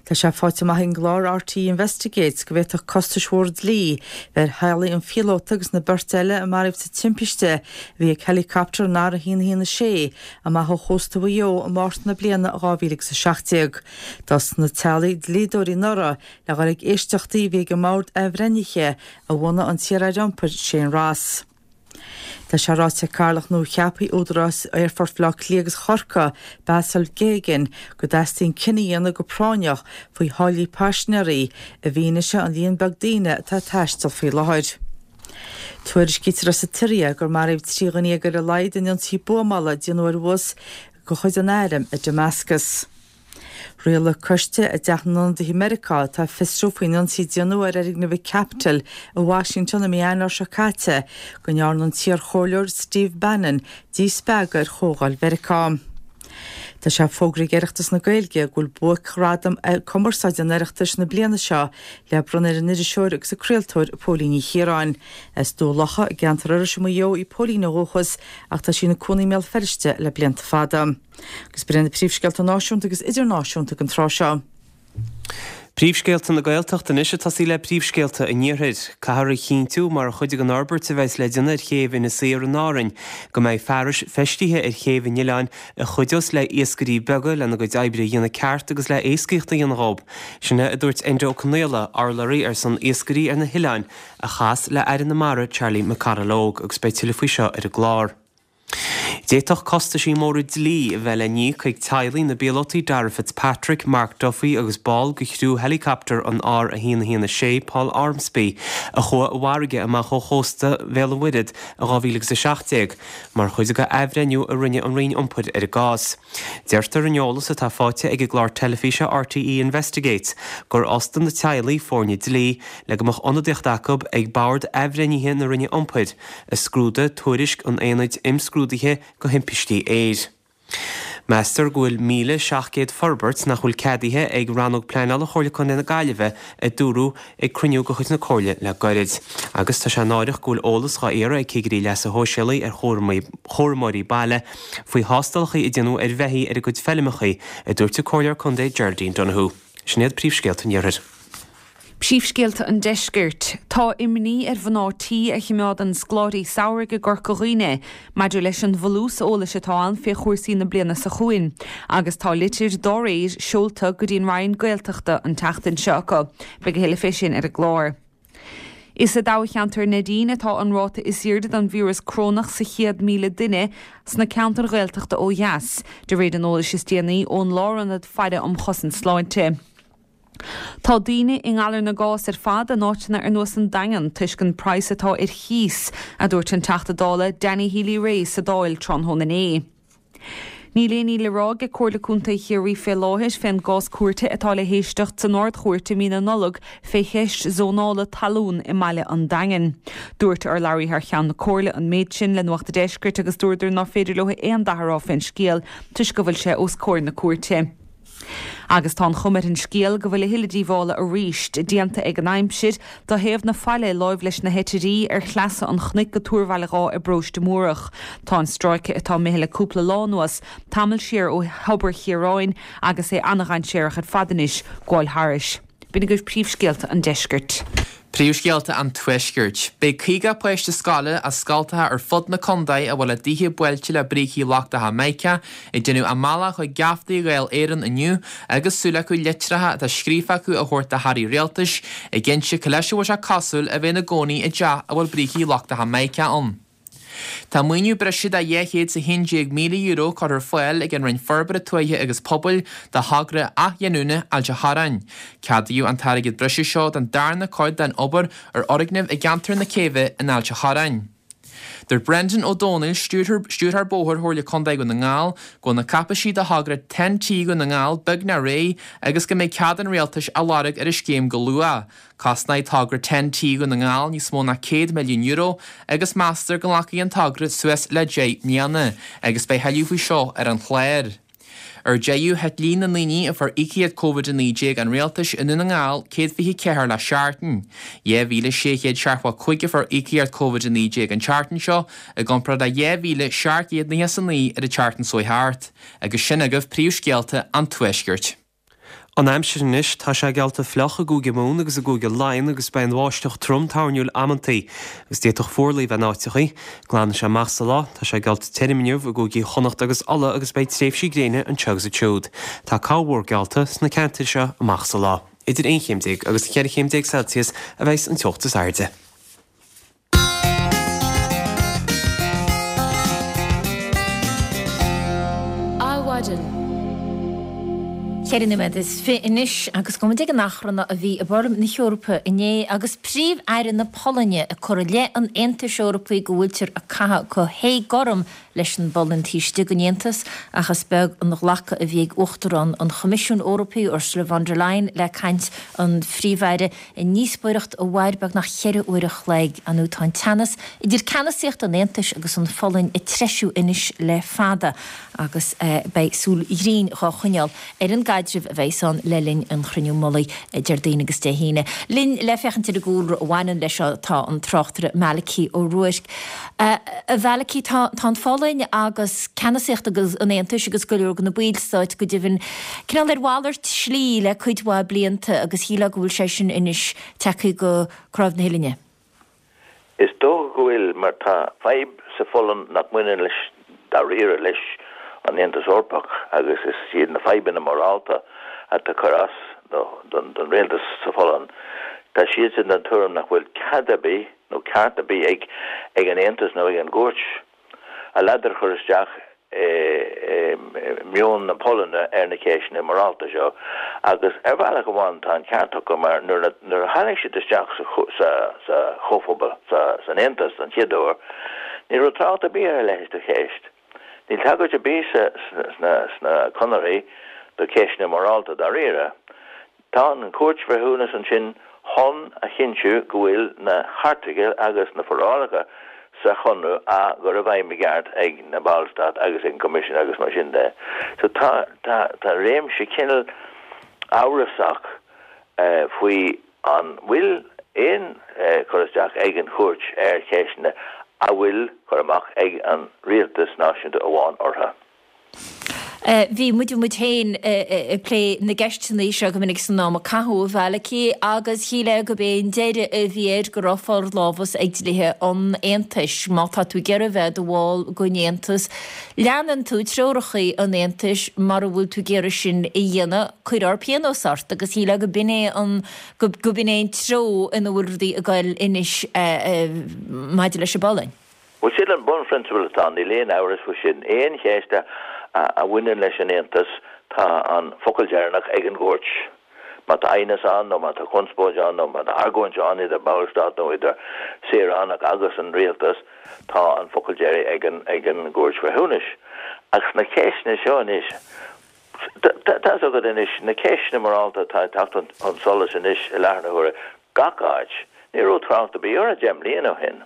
Tá sé faighte amach ag an gclár RTÉ Investigates go bhféadfadh costais mhóra dlí bheith ar theaghlaigh an phíolóta agus na beirte eile a maraíodh sa timpiste a bhí ag helicopter an R116 amach ó chósta Mhaigh Eo i Márta na bliana 2017. D'fhostaigh na teaghlaigh dlíodóirí anuraidh le dhul ag éisteachtaí a bhí ag an mBord Athbhreithnithe a bhunaigh an t-iar-aire iompair Shane Ross. Tá sé ráite ag Cathaoirleach nua-cheaptha Údarás Aerfort Bhaile Átha Cliath agus Chorcaí, Basil Geoghegan, go dteastaíonn cinneadh a dhéanamh go práinneach faoi tháillí paisinéirí i bhfianaise an líon beag daoine atá ag taisteal faoi láthair. Tuairiscítear as an tSiria gur maraíodh 13 dhuine ar a laghad in ionsaí buamála a déanadh ar bhus de chuid an airm i Damascus. Rialaigh coiste i dTeach na nIonadaithe Meiriceá atá ag fiosrú faoin ionsaí a déanadh ar fhoirgneamh an Capitol i Washington i mí Eanáir seo caite go ndearna an t-iarchomhairleoir Steve Bannon díspeagadh ar Chomhdháil Mheiriceá. Tá sé fógraithe ag Oireachtas na Gaeilge go bhfuil buaicghradam cumarsáide an Oireachtais na bliana seo le bronnadh ar an iriseoir agus an craoltóir Póilín Ní Chiaráin. As Dún Locha i gceantar Iorrais i Maigh Eo í Póilín ó dhúchas ach tá sí ina cónaí i mBéal Feirste le blianta fada. Agus b'in iad na príomhscéalta náisiúnta agus idirnáisiúnta don tráth seo. Príomhscéalta na Gaeltachta anois ag tosaí le príomhscéalta an Iarthair. Caithfear a chinntiú, mar chuid den fhorbairt a bheas le déanamh ar chéibh Inis Oírr in Árainn, go mbeidh fearais feistithe ar chéibh an oileáin a chuideos le iascairí beaga lena gcuid oibre a dhéanamh ceart agus le éascaíocht a dhéanamh dhóibh. Sin é a dúirt Enda Ó Conaola, urlabhraí ar son iascairí ar na hoileáin, a chas le Aire na Mara Charlie McConalogue agus beidh tuilleadh faoi seo ar an gclár. D'fhéadfadh costaisí móra dlí a bheith le n-íoc ag teaghlaigh na bpíolótaí Darragh Fitzpatrick, Mark Duffy agus ball de chriú helicopter an R116, Paul Ormsby, a chuaigh i bhfarraige amach ó chósta Bhéal an Mhuirthead in 2017, mar chuid de athbhreithniú a rinne an Roinn Iompair ar an gcás. Deirtear in eolas atá faighte ag an gclár teilifíse RTÉ Investigates gur fhostaigh na teaghlaigh foirne dlí le go mbeadh ionadaíocht acu ag Bord Athbhreithnithe na Roinne Iompair, a scrúdaigh tuairisc an Aonaid Imscrúdaithe go Thimpistí Aeir. Meastar go bhfuil 1,700 forbairt nach bhfuil ceadaithe ag Rannóg Pleanála Chomhairle Contae na Gaillimhe, a dúradh ag cruinniú de chuid na Comhairle le gairid. Agus tá sé náireach go bhfuil eolas dhá iarraidh ag cigirí leasa shóisialaigh ar chúramóirí baile faoi thástálacha a déanadh ar bheithígh ar a gcuid feilmeacha, a dúirt an Comhairleoir Contae Geraldine Donohoe. Sin iad príomhscéalta an Iarthair. Príomhscéalta an Deiscirt. Tá imní ar mhná tí a chimeádann scoláirí samhraidh i gCorca Dhuibhne maidir leis an bhfolús eolais atá ann fé chúrsaí na bliana seo chugainn agus tá litir dá réir seolta go dtí an Roinn Gaeltachta an tseachtain seo acu. Beidh a thuilleadh fé sin ar an gclár. Is i dtoghcheantar Neidín atá an ráta is airde den víreas corónach sa chéad 1,000 duine sna ceantair Ghaeltachta ó dheas, de réir an eolais is déanaí ón Lárionad Faire um Chosaint Sláinte. Tá daoine i ngalar na gcás ar fad in áiteanna ar nós an Daingean toisc an praghas atá ar chíos, a dúirt an Teachta Dála Danny Healy-Rae sa Dáil tráthnóna inné. Níl aon ní le rá ag Comhairle Contae Chiarraí fé láthair fén gcás cúirte atá le héisteacht san Ard-Chúirt i mí na Nollag fé cheist zónála talún i mbaile an Daingin. Dúirt urlabhraí thar cheann na Comhairle an méid sin le Nuacht a' Deiscirt agus dúradar nár féidir leo aon dath a rá fén scéal toisc go bhfuil sé os comhair na cúirte. Agus tá an chuma ar an scéal go bhfuil a thuilleadh díobhála arís déanta ag an aimsir do thaobh na faille láimh leis na hEitirí ar shleasa an chnoic go Tuar Bhaile Dháith i bparóiste Múrach. Tá an stráice atá imithe le cúpla lá anuas tamall siar ó Thobar Chiaráin agus é ana-dhainséarach ar fad anois gabháil thairis. B'in agaibh príomhscéalta an deiscirt. Príomhscéalta an Tuaiscirt. Beidh 50 páiste scoile as scoltacha ar fud na contae a bhfuil a dtithe buailte le brící lochtacha mica ag déanamh a mbealach chuig geaftaí Dháil Éireann inniu agus súil acu litreacha atá scríofa acu a thabhairt do hairí rialtais ag inse cad leis a bhfuil sé cosúil a bheith ina gcónaí i dteach a bhfuil brící lochtacha mica ann. Tá maoiniú breise de €211,000 curtha ar fáil ag an Roinn Forbartha Tuaithe agus Pobail do thogra athghiniúna Ailt an Chorráin. Ceadaíodh an t-airgead breise seo don darna cuid den obair ar fhoirgnimh i gceantar na Céibhe in Ailt an Chorráin. Dúirt Brendan Ó Domhnaill, Stiúrthóir Bóthair Chomhairle Contae Dhún na nGall, go bhfuil na cáipeisí do thogra TEN-T Dhún na nGall beagnach réidh agus go mbeidh cead an Rialtais á lorg ar an scéim go luath. Cosnóidh togra TEN-T Dhún na nGall níos mó ná €100 milliún agus meastar go nglacfaidh an togra suas le 10 mbliana agus beidh thuilleadh faoi seo ar an chlár. Ar deireadh, thit líon na ndaoine a fuair íocaíocht Covid-19 an Rialtais i nDún na nGall 124 le seachtain. 2,675 a fuair íocaíocht Covid-19 an tseachtain seo i gcomparáid le 2,799 ar an tseachtain seo thart. Agus sin agaibh príomhscéalta an Tuaiscirt. An aimsir anois, tá sé geallta fliuch i gCúige Mumhan agus i gCúige Laighean agus beidh an bháisteach trom toirniúil amantaí agus d'fhéadfadh fuarlaigh a bheith in áiteachaí. Glanfaidh sé amach sa lá. Tá sé geallta tirim inniu i gcúigí Chonnacht agus Uladh agus beidh tréimhsí gréine anseo agus ansiúd. Tá corrmhúr geallta sna ceantair seo amach sa lá. Idir 11 chéim agus 14 chéim Celsius a bheas an teocht is airde. Adhmhaidin. 24 nóiméad anois agus gabhfaidh muid ag an achrann a bhí i bParlaimint na hEorpa inné agus Príomh-Aire na Polainne ag cur i leith an Aontais Eorpaigh go bhfuiltear ag caitheamh go héagothrom leis an bPolainn taobh istigh den Aontas ach is beag an ghlacadh a bhí ag Uachtarán an Choimisiúin Eorpaigh, Ursula von der Leyen, le caint an Phríomh-Aire i ndíospóireacht a mhair beagnach cheithre uair a chloig. Ar ndóigh tá an teannas idir ceannasaíocht an Aontais agus an Pholainn ag treisiú anois le fada agus beidh súil ghrinn dhá choinneáil ar an gcaidreamh a bheas ann le linn an Chruinniú Mullaigh Déardaoin agus Dé hAoine. Linn le féachaint ar an gcúlra a bhaineann leis seo tá an tráchtaire Malachy Ó Ruairc. A Mhalachy, tá an Pholainn agus ceannasaíocht an Aontais agus go leor de na ballstáit go deimhin cineál ar mhalairt slí le cuid mhaith blianta agus shílfeá go bhfuil sé sin anois tagtha go cnáimh na huillinne. Is dócha go bhfuil, mar tá fadhb sa Pholainn nach mbaineann leis dáiríre leis an Aontas Eorpach agus is iad na fadhbanna morálta atá ag cur as don rialtas sa Pholainn. Tá siadsan den tuairim nach bhfuil cead ar bith nó ceart ar bith ag an Aontas nó ag an gcúirt a ladar a chur isteach i meon na Polainne ar na ceisteanna morálta seo agus ar bhealach amháin tá an ceart acu mar nuair a tháinig siad isteach sa Chomhphobal, san Aontas don chéad uair, ní raibh trácht ar bith ar a leithéid de cheist. Níl tagairt ar bith sna conarthaí do cheisteanna morálta dáiríre. Tá an Chúirt Bhreithiúnas ansin chun a chinntiú go bhfuil na hairteagail agus na forálacha sa Chonradh á gcur i bhfeidhm i gceart ag na Ballstáit agus ag an gCoimisiún agus mar sin de. So tá, tá, tá réimse cineál amhrasach faoi an bhfuil aon chur isteach ag an Chúirt ar cheisteanna a bhfuil cur amach ag an rialtas náisiúnta amháin orthu. Bhí muid muid féin ag plé na gceisteanna seo go minic san am a caitheadh, a Mhalachy, agus shílfeá gurb é an deireadh a bhí air go raibh forlámhas ag dlíthe an Aontais. Má tá tú ag iarraidh bheith i do bhall den Aontas, leanann tú treoracha an Aontais, mura bhfuil tú ag iarraidh sin a dhéanamh, cuirfear pionós ort agus shílfeá go b'in é an go b'in é an treo ina bhfuil rudaí ag goil anois maidir leis an bPolainn. Bhuel, sin an bunphrionsabal atá ann, níl aon amhras faoi sin. Aon cheist a bhaineann leis an Aontas, tá an focal deireanach ag an gcúirt. Má tá aighneas ann nó má tá conspóid ann nó má tá argóint ann idir ballstát nó idir saoránach agus an rialtas, tá an focal deiridh ag an ag an gCúirt Bhreithiúnais. Ach sna ceisteanna seo anois, tá's agat anois, na ceisteanna morálta atá ag teacht chun solais anois i láthair na huaire, gach áit. Ní raibh trácht ar bith orthu 10 mbliana ó shin.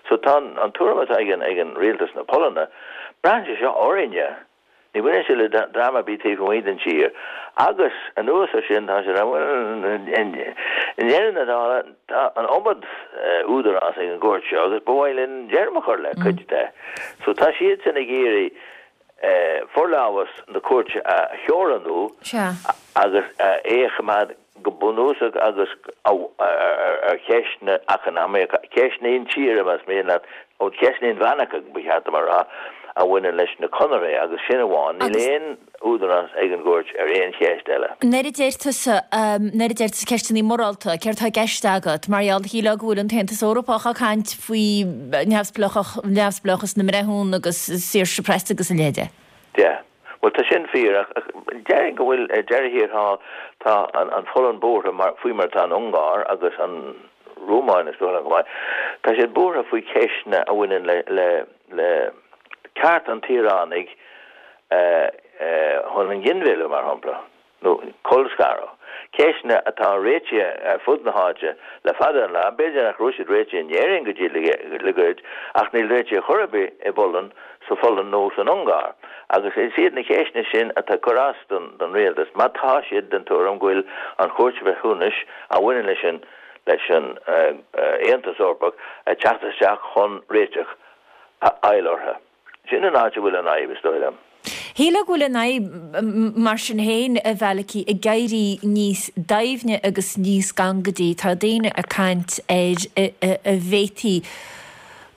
So tá an tuairim atá ag an ag an rialtas na Polainne, braitheann sé seo orainne. Ní bhaineann sé le dream ar bith taobh amuigh den tír. Agus anuas ar sin tá sé ag rá, bhuel, i ndeireadh na dála tá an iomad údarás ag an gcúirt seo agus ba mhaith linn deireadh a chur le cuid de. So tá siadsan ag iarraidh forlámhas na cúirte a theorannú agus é a choimeád go bunúsach agus ar cheisteanna eacnamaíocha, ceisteanna intíre más mian leat, nó ceisteanna inmheánacha ba cheart dom a rá, a bhaineann leis na conarthaí agus sin amháin. Níl aon údarás ag an gcúirt ar aon cheist eile. Nuair a deir tusa, nuair a deir tusa ceisteanna morálta, céard atá i gceist agat? Mar gheall, shílfeá go bhfuil an tAontas Eorpach ag caint faoi neamhspleáchas na mbreithiúna agus saoirse preasa agus a leithéid. Sea. Bhuel, tá sin fíor, ach déarfainn go bhfuil, ar deireadh thiar thall, tá an Pholainn buartha mar, faoi mar atá an Ungáir agus an Rómáin is dóigh liom chomh maith, tá siad buartha faoi cheisteanna a bhaineann le, le, le ceart an tsaoránaigh chun an ghinmhilleadh, mar shampla. nó colscaradh, ceisteanna atá réitithe ar fud na háite le fada an lá, b'fhéidir nach raibh siad réitithe in Éirinn go dtí le gairid, ach níl réitithe chor ar bith i bPolainn, sa Pholainn nó san Ungáir. Agus is iad na ceisteanna sin atá ag cur as don rialtas, má tá siad den tuairim go bhfuil an Chúirt Bhreithiúnais a bhaineann leis an leis an Aontas Eorpach ag teacht isteach chun réiteach a fháil orthu. Sin an áit a bhfuil an fhadhb, is dóigh liom. Shílfeá go bhfuil an fhadhb, mar sin féin, a Mhalachy, ag éirí níos doimhne agus níos gangaidí. Tá daoine ag caint ar a bhféadfaí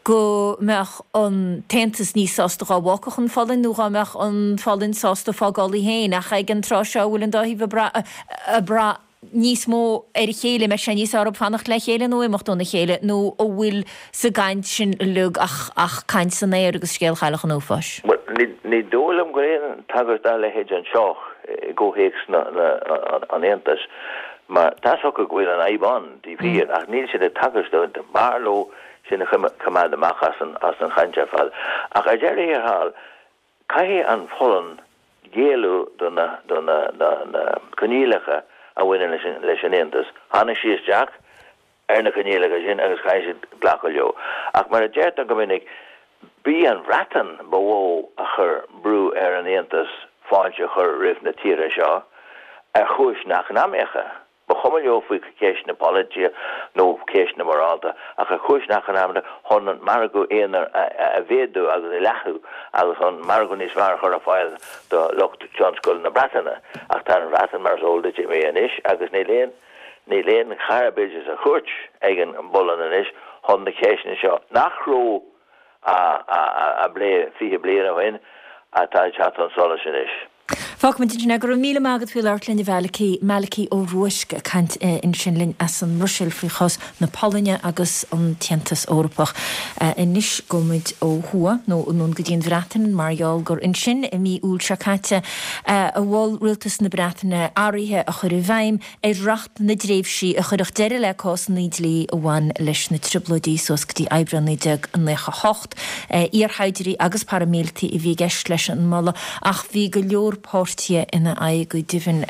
go mbeadh an tAontas níos sásta dhá bhfágfadh an Pholainn nó dhá mbeadh an Pholainn sásta fágáil í féin. Ach ag an tráth seo a bhfuil an dá thaobh ag brath níos mó ar a chéile, an mbeidh sé níos fearr orthu fanacht le chéile nó imeacht óna chéile, nó an bhfuil sa gcaint sin uilig ach ach caint san aer agus scéal Chailleach an Uafáis? Bhuel, ní ní dóigh liom go bhfuil aon tagairt dá leithéid anseo i gcomhthéacs na na an Aontais, mar tá's acu go bhfuil an fhadhb ann, taobh thiar, ach níl siad ag tagairt dó, b'fhearr leo sin a choimeád amach as an as an chaint ar fad. Ach ar deireadh thiar thall, Caithfidh an Pholainn géilleadh do na coinníollacha a bhaineann leis an Aontas. Tháinig sí isteach ar na coinníollacha sin agus caithfidh siad glacadh leo. Ach mar a deirtear go minic, b'í an Bhreatain ba mhó a chuir brú ar an Aontas fáilte a chur roimh na tíortha seo ar chúiseanna eacnamaíocha. Ba chuma leo faoi cheisteanna polaitíochta nó ceisteanna morálta, ach ar chúiseanna eacnamaíochta chun an margadh aonair a mhéadú agus a leathnú agus chun margadh níos fearr a chur ar fáil do lucht tionscail na Breataine. Ach tá an Bhreatain, mar is eol duit, imithe anois agus níl aon níl aon chara b'fhéidir sa chúirt ag an bPolainn anois chun na ceisteanna seo, nach raibh á bplé 20 bliain ó shin, atá ag teacht chun solais anois. Fágfaimid ansin é. Go raibh míle maith agat faoi labhairt linn a Mhalachy, Malachy Ó Ruaisc ag caint ansin linn as an mBruiséil faoi chás na Polainne agus an tAontas Eorpach. Anois gabhfaimid ó thuaidh, nó anonn go dtí an Bhreatain mar gheall gur ansin i mí Iúil seo caite a mhol Rialtas na Breataine athruithe a chur i bhfeidhm ar Reacht na dTréimhsí a chuirfeadh deireadh le cásanna dlí a bhain leis na Trioblóidí suas go dtí Aibreán 1998. Iarshaighdiúirí agus paraimíleataigh a bhí i gceist leis an moladh ach bhí go leor páirtithe ina aghaidh go deimhin.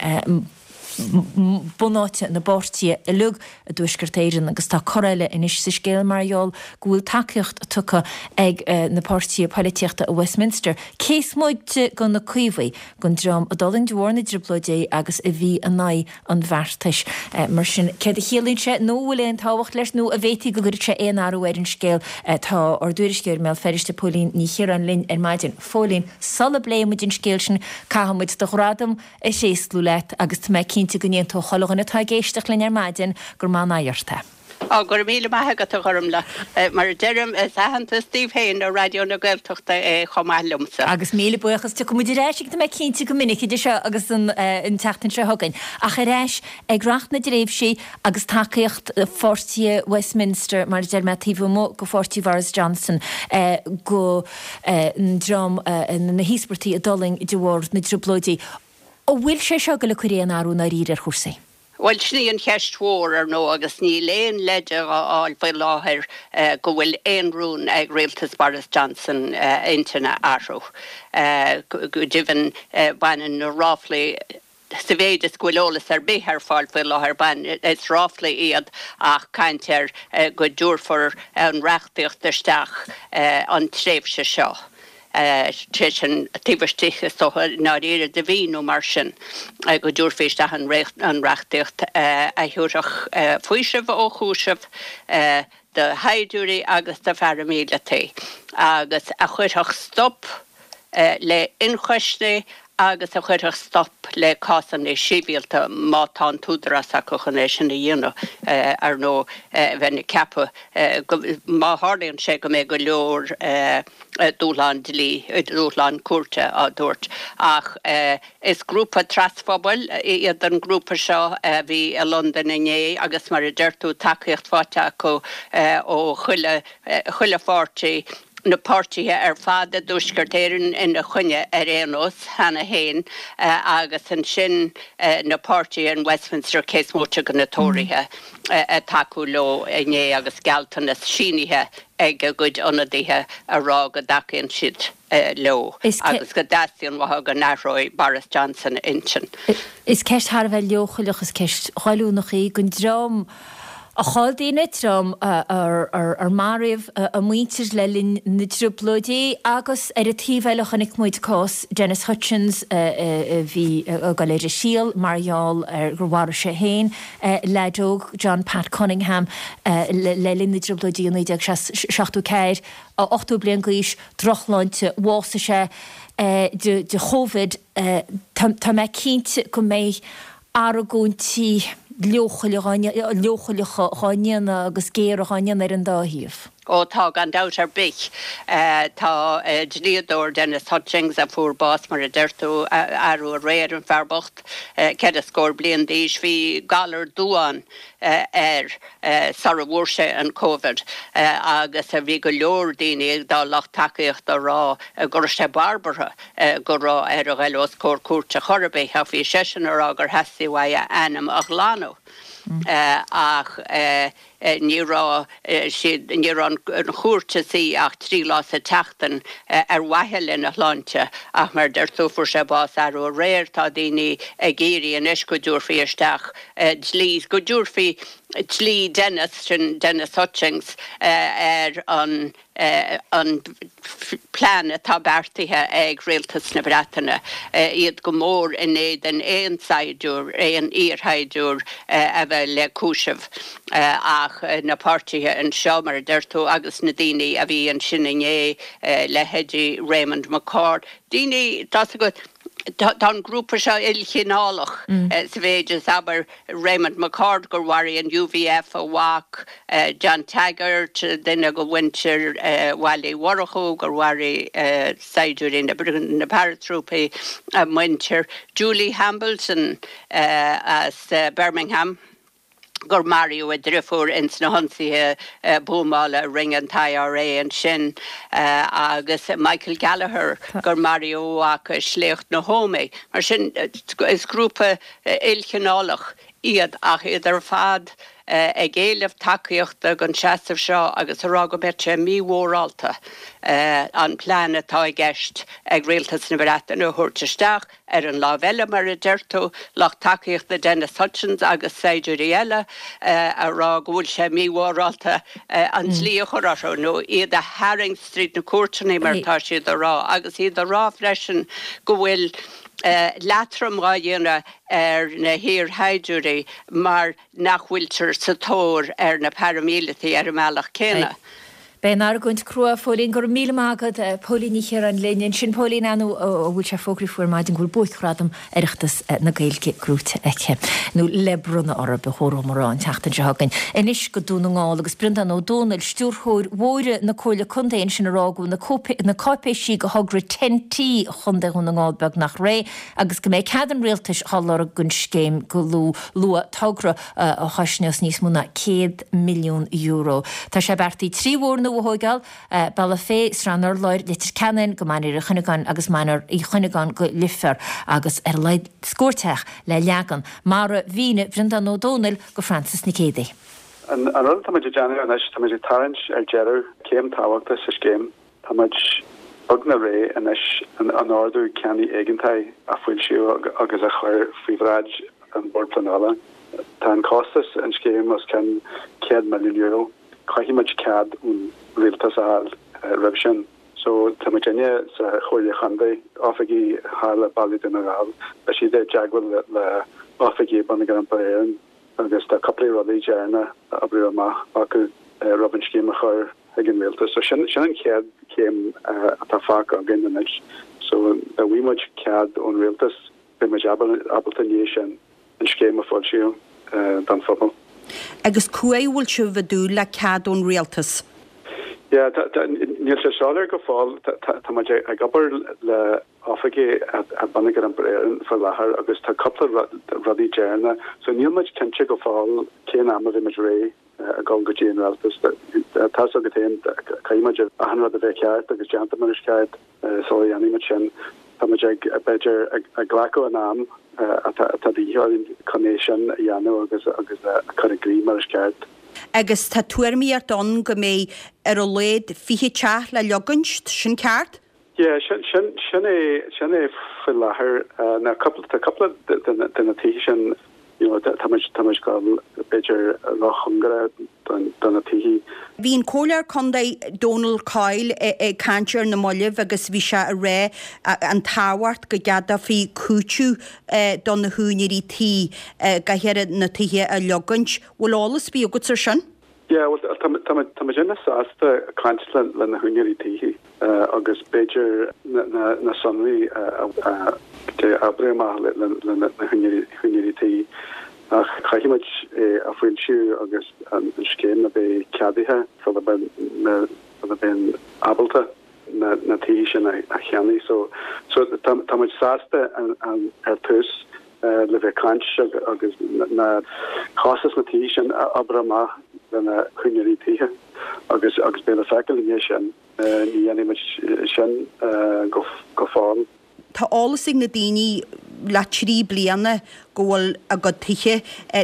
Bunáite na bpáirtithe uilig i dTuaisceart Éireann agus tá cor eile anois sa scéal mar gheall go bhfuil tacaíocht tugtha ag na páirtithe poilitíochta i Westminster, cé is moite de na Caomhaigh, don dream a d'fhulaing de bharr na dTrioblóidí agus a bhí in aghaidh an bheartais. Mar sin, céard a chiallaíonn sé nó an bhfuil aon tábhacht leis nó an bhféadfaí go gcuirfeadh sé aon athrú ar an scéal? Tá ár dtuairisceoir i mBéal Feirste, Póilín Ní Chiaráin linn ar maidin. Phóilín, sula bpléifidh muid an scéal sin, caithfidh muid do ghradam a thréaslú leat agus tá mé cinnte go n-aontódh chuile dhuine atá ag éisteacht linn ar maidin gur maith an aghaidh ort é. Á, go raibh míle maith agat, a Ghormlaith. Mar a deirim, is aitheantas daoibh féin i Raidió na Gaeltachta é chomh maith liomsa. Agus míle buíochas. Tiocfaidh muid ar ais tá mé cinnte go minic idir seo agus an tseachtain seo chugainn. Ach ar ais ag reacht na dtréimhsí agus tacaíocht pháirtithe Westminster, mar a deir mé, taobh amuigh de pháirtí Bhoris Johnson, go ndream na híospartaigh a d'fhulaing de bharr na dTrioblóidí. An bhfuil sé seo ag dul ag cur aon athrú i ndáiríre ar chúrsaí? Bhuel, sin í an cheist mhór, ar ndóigh, agus níl aon leide dhá fháil faoi láthair go bhfuil aon rún ag rialtas Boris Johnson a intinn a athrú. Go deimhin, baineann na ráflaí Sa mhéid is go bhfuil eolas ar bith ar fáil faoi láthair, baineann, is ráflaí iad ach caint ar go dtabharfar an reachtaíocht isteach an tréimhse seo, sé sin taobh istigh is dócha i ndáiríre de mhí nó mar sin, go dtabharfaí isteach an reachtaíocht a thabharfadh faoiseamh ó chúiseamh do shaighdiúirí agus do pharaimíleataigh agus a chuirfeadh stop le hionchoisní agus a chuirfeadh stop le cásanna sibhialta má tá an t-údarás acu chun é sin a dhéanamh, ar ndóigh, bheinn ag ceapadh go, má tharlaíonn sé go mbeidh go leor dúshlán dlí, dúshlán cúirte á dtabhairt. Ach is grúpa trasphobail iad an grúpa seo a bhí i Londain inné agus mar a deir tú, tacaíocht faighte acu ó chuile, chuile pháirtí. na páirtithe ar fad i dTuaisceart Éireann ina choinne ar aon nós cheana féin agus ansin na páirtithe in Westminster cé is móite de na Tóraithe ag tacú leo inné agus gealltanas sínithe ag a gcuid ionadaithe a rá go dtacaíonn siad leo agus go dteastaíonn uathu go n-athróidh Boris Johnson a intinn. Is ceist thar a bheith leochaileach, is ceist ghoilliúnach í don dream a chaill daoine, dream ar maraíodh a muintir le linn na dTrioblóidí agus ar an taobh eile chonaic muid cás Dennis Hutchins a bhí ag dul ar a thriail mar gheall ar gur mharaigh sé féin leaid óg, John Pat Cunningham, le linn na dTrioblóidí i 1974, 80 bliain d'aois, drochshláinte, bhásaigh sé de Chovid. Tá mé cinnte go mbeidh argóintí leochaileacha dhá ndéanamh agus géara dhá ndéanamh ar an dá thaobh. Ó tá, gan dabht ar bith. Tá dlíodóir, Dennis Hutchings, a fuair bás, mar a deir tú, arú aréir, an fear bocht, ceithre scór bliain d'aois. Bhí galar duáin air sara bhfuair sé an Covid agus bhí go leor daoine dá lucht tacaíochta a rá go raibh sé barbartha go raibh air a ghoil os comhair cúirte chor ar bith ach bhí seisean a rá gur theastaigh uaidh a ainm a ghlanadh ach ní raibh siad, ní raibh an chúirt ina suí ach 3 lá sa tseachtain ar mhaithe lena shláinte ach mar a deir tú fuair sé bás arú aréir. Tá daoine ag iarraidh anois go dtabharfaí isteach dlí, go dtabharfaí dlí Dennis, sin Dennis Hutchings, ar an an plean atá beartaithe ag Rialtas na Breataine, iad go mór in éadan aon saighdiúir, aon iarshaighdiúir a bheith le cúiseamh. Ach na páirtithe anseo, mar a deir tú, agus na daoine a bhí ansin inné, leithéidí Raymond McCord, daoine, tá's agat, tá an grúpa seo ilchineálach sa mhéid is, abair, Raymond McCord gur mharaigh an UVF a mhac, John Taggart, duine de mhuintir Bhaile Uí Mhurchú gur mharaigh saighdiúirí na paratrúpaí a muintir, Julie Hambleton as Birmingham gur maraíodh a driofúr ins na hionsaithe buamála a rinne an t-IRA ansin agus Michael Gallagher gur maraíodh a mhac i sléacht na hÓmaí. Mar sin is grúpa ilchineálach iad ach iad ar fad. Ag éileamh tacaíochta don seasamh seo agus a rá go mbeadh sé mímhórálta an plean atá i gceist ag Rialtas na Breataine a thabhairt isteach. Ar an lámh eile, mar a deir tú, lucht tacaíochta Dennis Hutchins agus saighdiúirí eile a rá go bhfuil sé mímhórálta an dlí a chur orthu nó iad a tharraingt tríd na cúirteanna mar atá siad a rá agus iad a rá freisin go bhfuil leatrom dhá dhéanamh ar na hiarshaighdiúirí mar nach bhfuiltear sa tóir ar na paraimíleataigh ar an mbealach céanna. Beidh an argóint crua, a Phóilín. Go raibh míle maith agat. Póilín Ní Chiaráin linn ansin. Póilín, ar ndóigh, a bhfuil sé fógraithe faoi ar maidin go bhfuil Buaicghradam Oireachtas na Gaeilge gnóite aici, nó le bronnadh uirthi, ba chóir dom a rá, an tseachtain seo chugainn. Anois go Dún na nGall agus Breandán Ó Dónaill, Stiúrthóir Bhóithre na Comhairle Contae ansin a rá go bhfuil na cáipéisí do thogra TEN-T Chontae Dhún na nGall beagnach réidh. agus go mbeidh cead an Rialtais á lorg don scéim go luath, togra a chosnós níos mó ná €100 milliún. Tá sé beartaithe 3 bhóthar nua a thóigeáil, Bealach Féich, Srath an Urláir, Leitir Ceanainn go Mainéar Uí Chuinneagáin agus Mainéar Uí Chuinneagáin go Leifear agus ar a laghad scór teach le leagan, mar a mhínigh Breandán Ó Dónaill do Frances Nic Géadaigh. An rud atá muid ag déanamh anois, tá muid ag tarraingt ar deireadh céim tábhachtach sa scéim. Tá muid beagnach réidh anois an Ordú Ceannaigh Éigeantaigh a fhoilsiú agus a chur faoi bhráid an Bhord Pleanála. Tá an costas an scéim os cionn €100 milliún. Caithfidh muid cead ón Rialtas a fháil roimh sin. So tá muidinne sa Chomhairle Chontae, oifigigh thall le Baile Dhún na nGall, beidh siad i dteagmháil le oifigigh Bonneagar Iompair Éireann agus tá cúpla rudaí deireanach a oibriú amach acu roimh an scéim a chur chuig an rialtas. So sin sin an chéad chéim atá fágtha againn anois. So dá bhfaighidh muid cead ón rialtas beidh muid ábalta i ndiaidh sin an scéim a foilsiú don phobal. Agus cá huair a bhfuil sibh ag dúil le cead ón rialtas? Yeah, tá, tá, níl sé soiléir go fóill. Tá, tá, tá muid ag obair le oifigigh i Bonneagar Iompair Éireann faoi láthair agus tá cúpla rudaí deireanach. So níl muid cinnte go fóill cén am a bheidh muid réidh. ag dul go dtí an rialtas. Tá's agat féin, caithfidh muid achan rud a bheith ceart agus déanta mar is ceart sula dhéanfaidh muid sin. Tá muid ag, b'fhéidir, ag glacadh an am atá de dhíth orainn chun é sin a dhéanamh agus agus a chur i gcrích mar is ceart. Agus tá tuairimíocht ann go mbeidh ar a laghad 20 teach le leogaint, sin ceart? Yeah, sin, sin, sin é, sin é faoi láthair. Now cúpla, tá cúpla de na, de na tithe sin, you know, tá muid, tá muid ag dul b'fhéidir róchóngarach don, do na tithe. Bhí an Comhairleoir Contae Donal Coyle ag caint ar na mallaibh agus bhí sé ag rá an tábhacht go gceadófaí cúiteamh do na húinéirí tí go háirithe na tithe a leogaint. Bhfuil eolas ar bith agat ar sin? Yeah, bhuel, tá, tá muid, tá muidinne sásta caint le, le na húinéirí tithe. agus b'fhéidir na sonraí a oibriú amach le na húinéirí tí ach caithfidh muid é a foilsiú agus an scéim a bheith ceadaithe sula mbeinn ábalta na tithe sin a cheannaigh. So tá muid sásta ar tús le bheith caint agus na costas na tithe sin a oibriú amach le na húinéirí tithe agus beidh le feiceáil i ndiaidh sin. Ní dhéanfaidh muid sin go fóill. Tá eolas ag na daoine le 3 bliana go bhfuil a gcuid tithe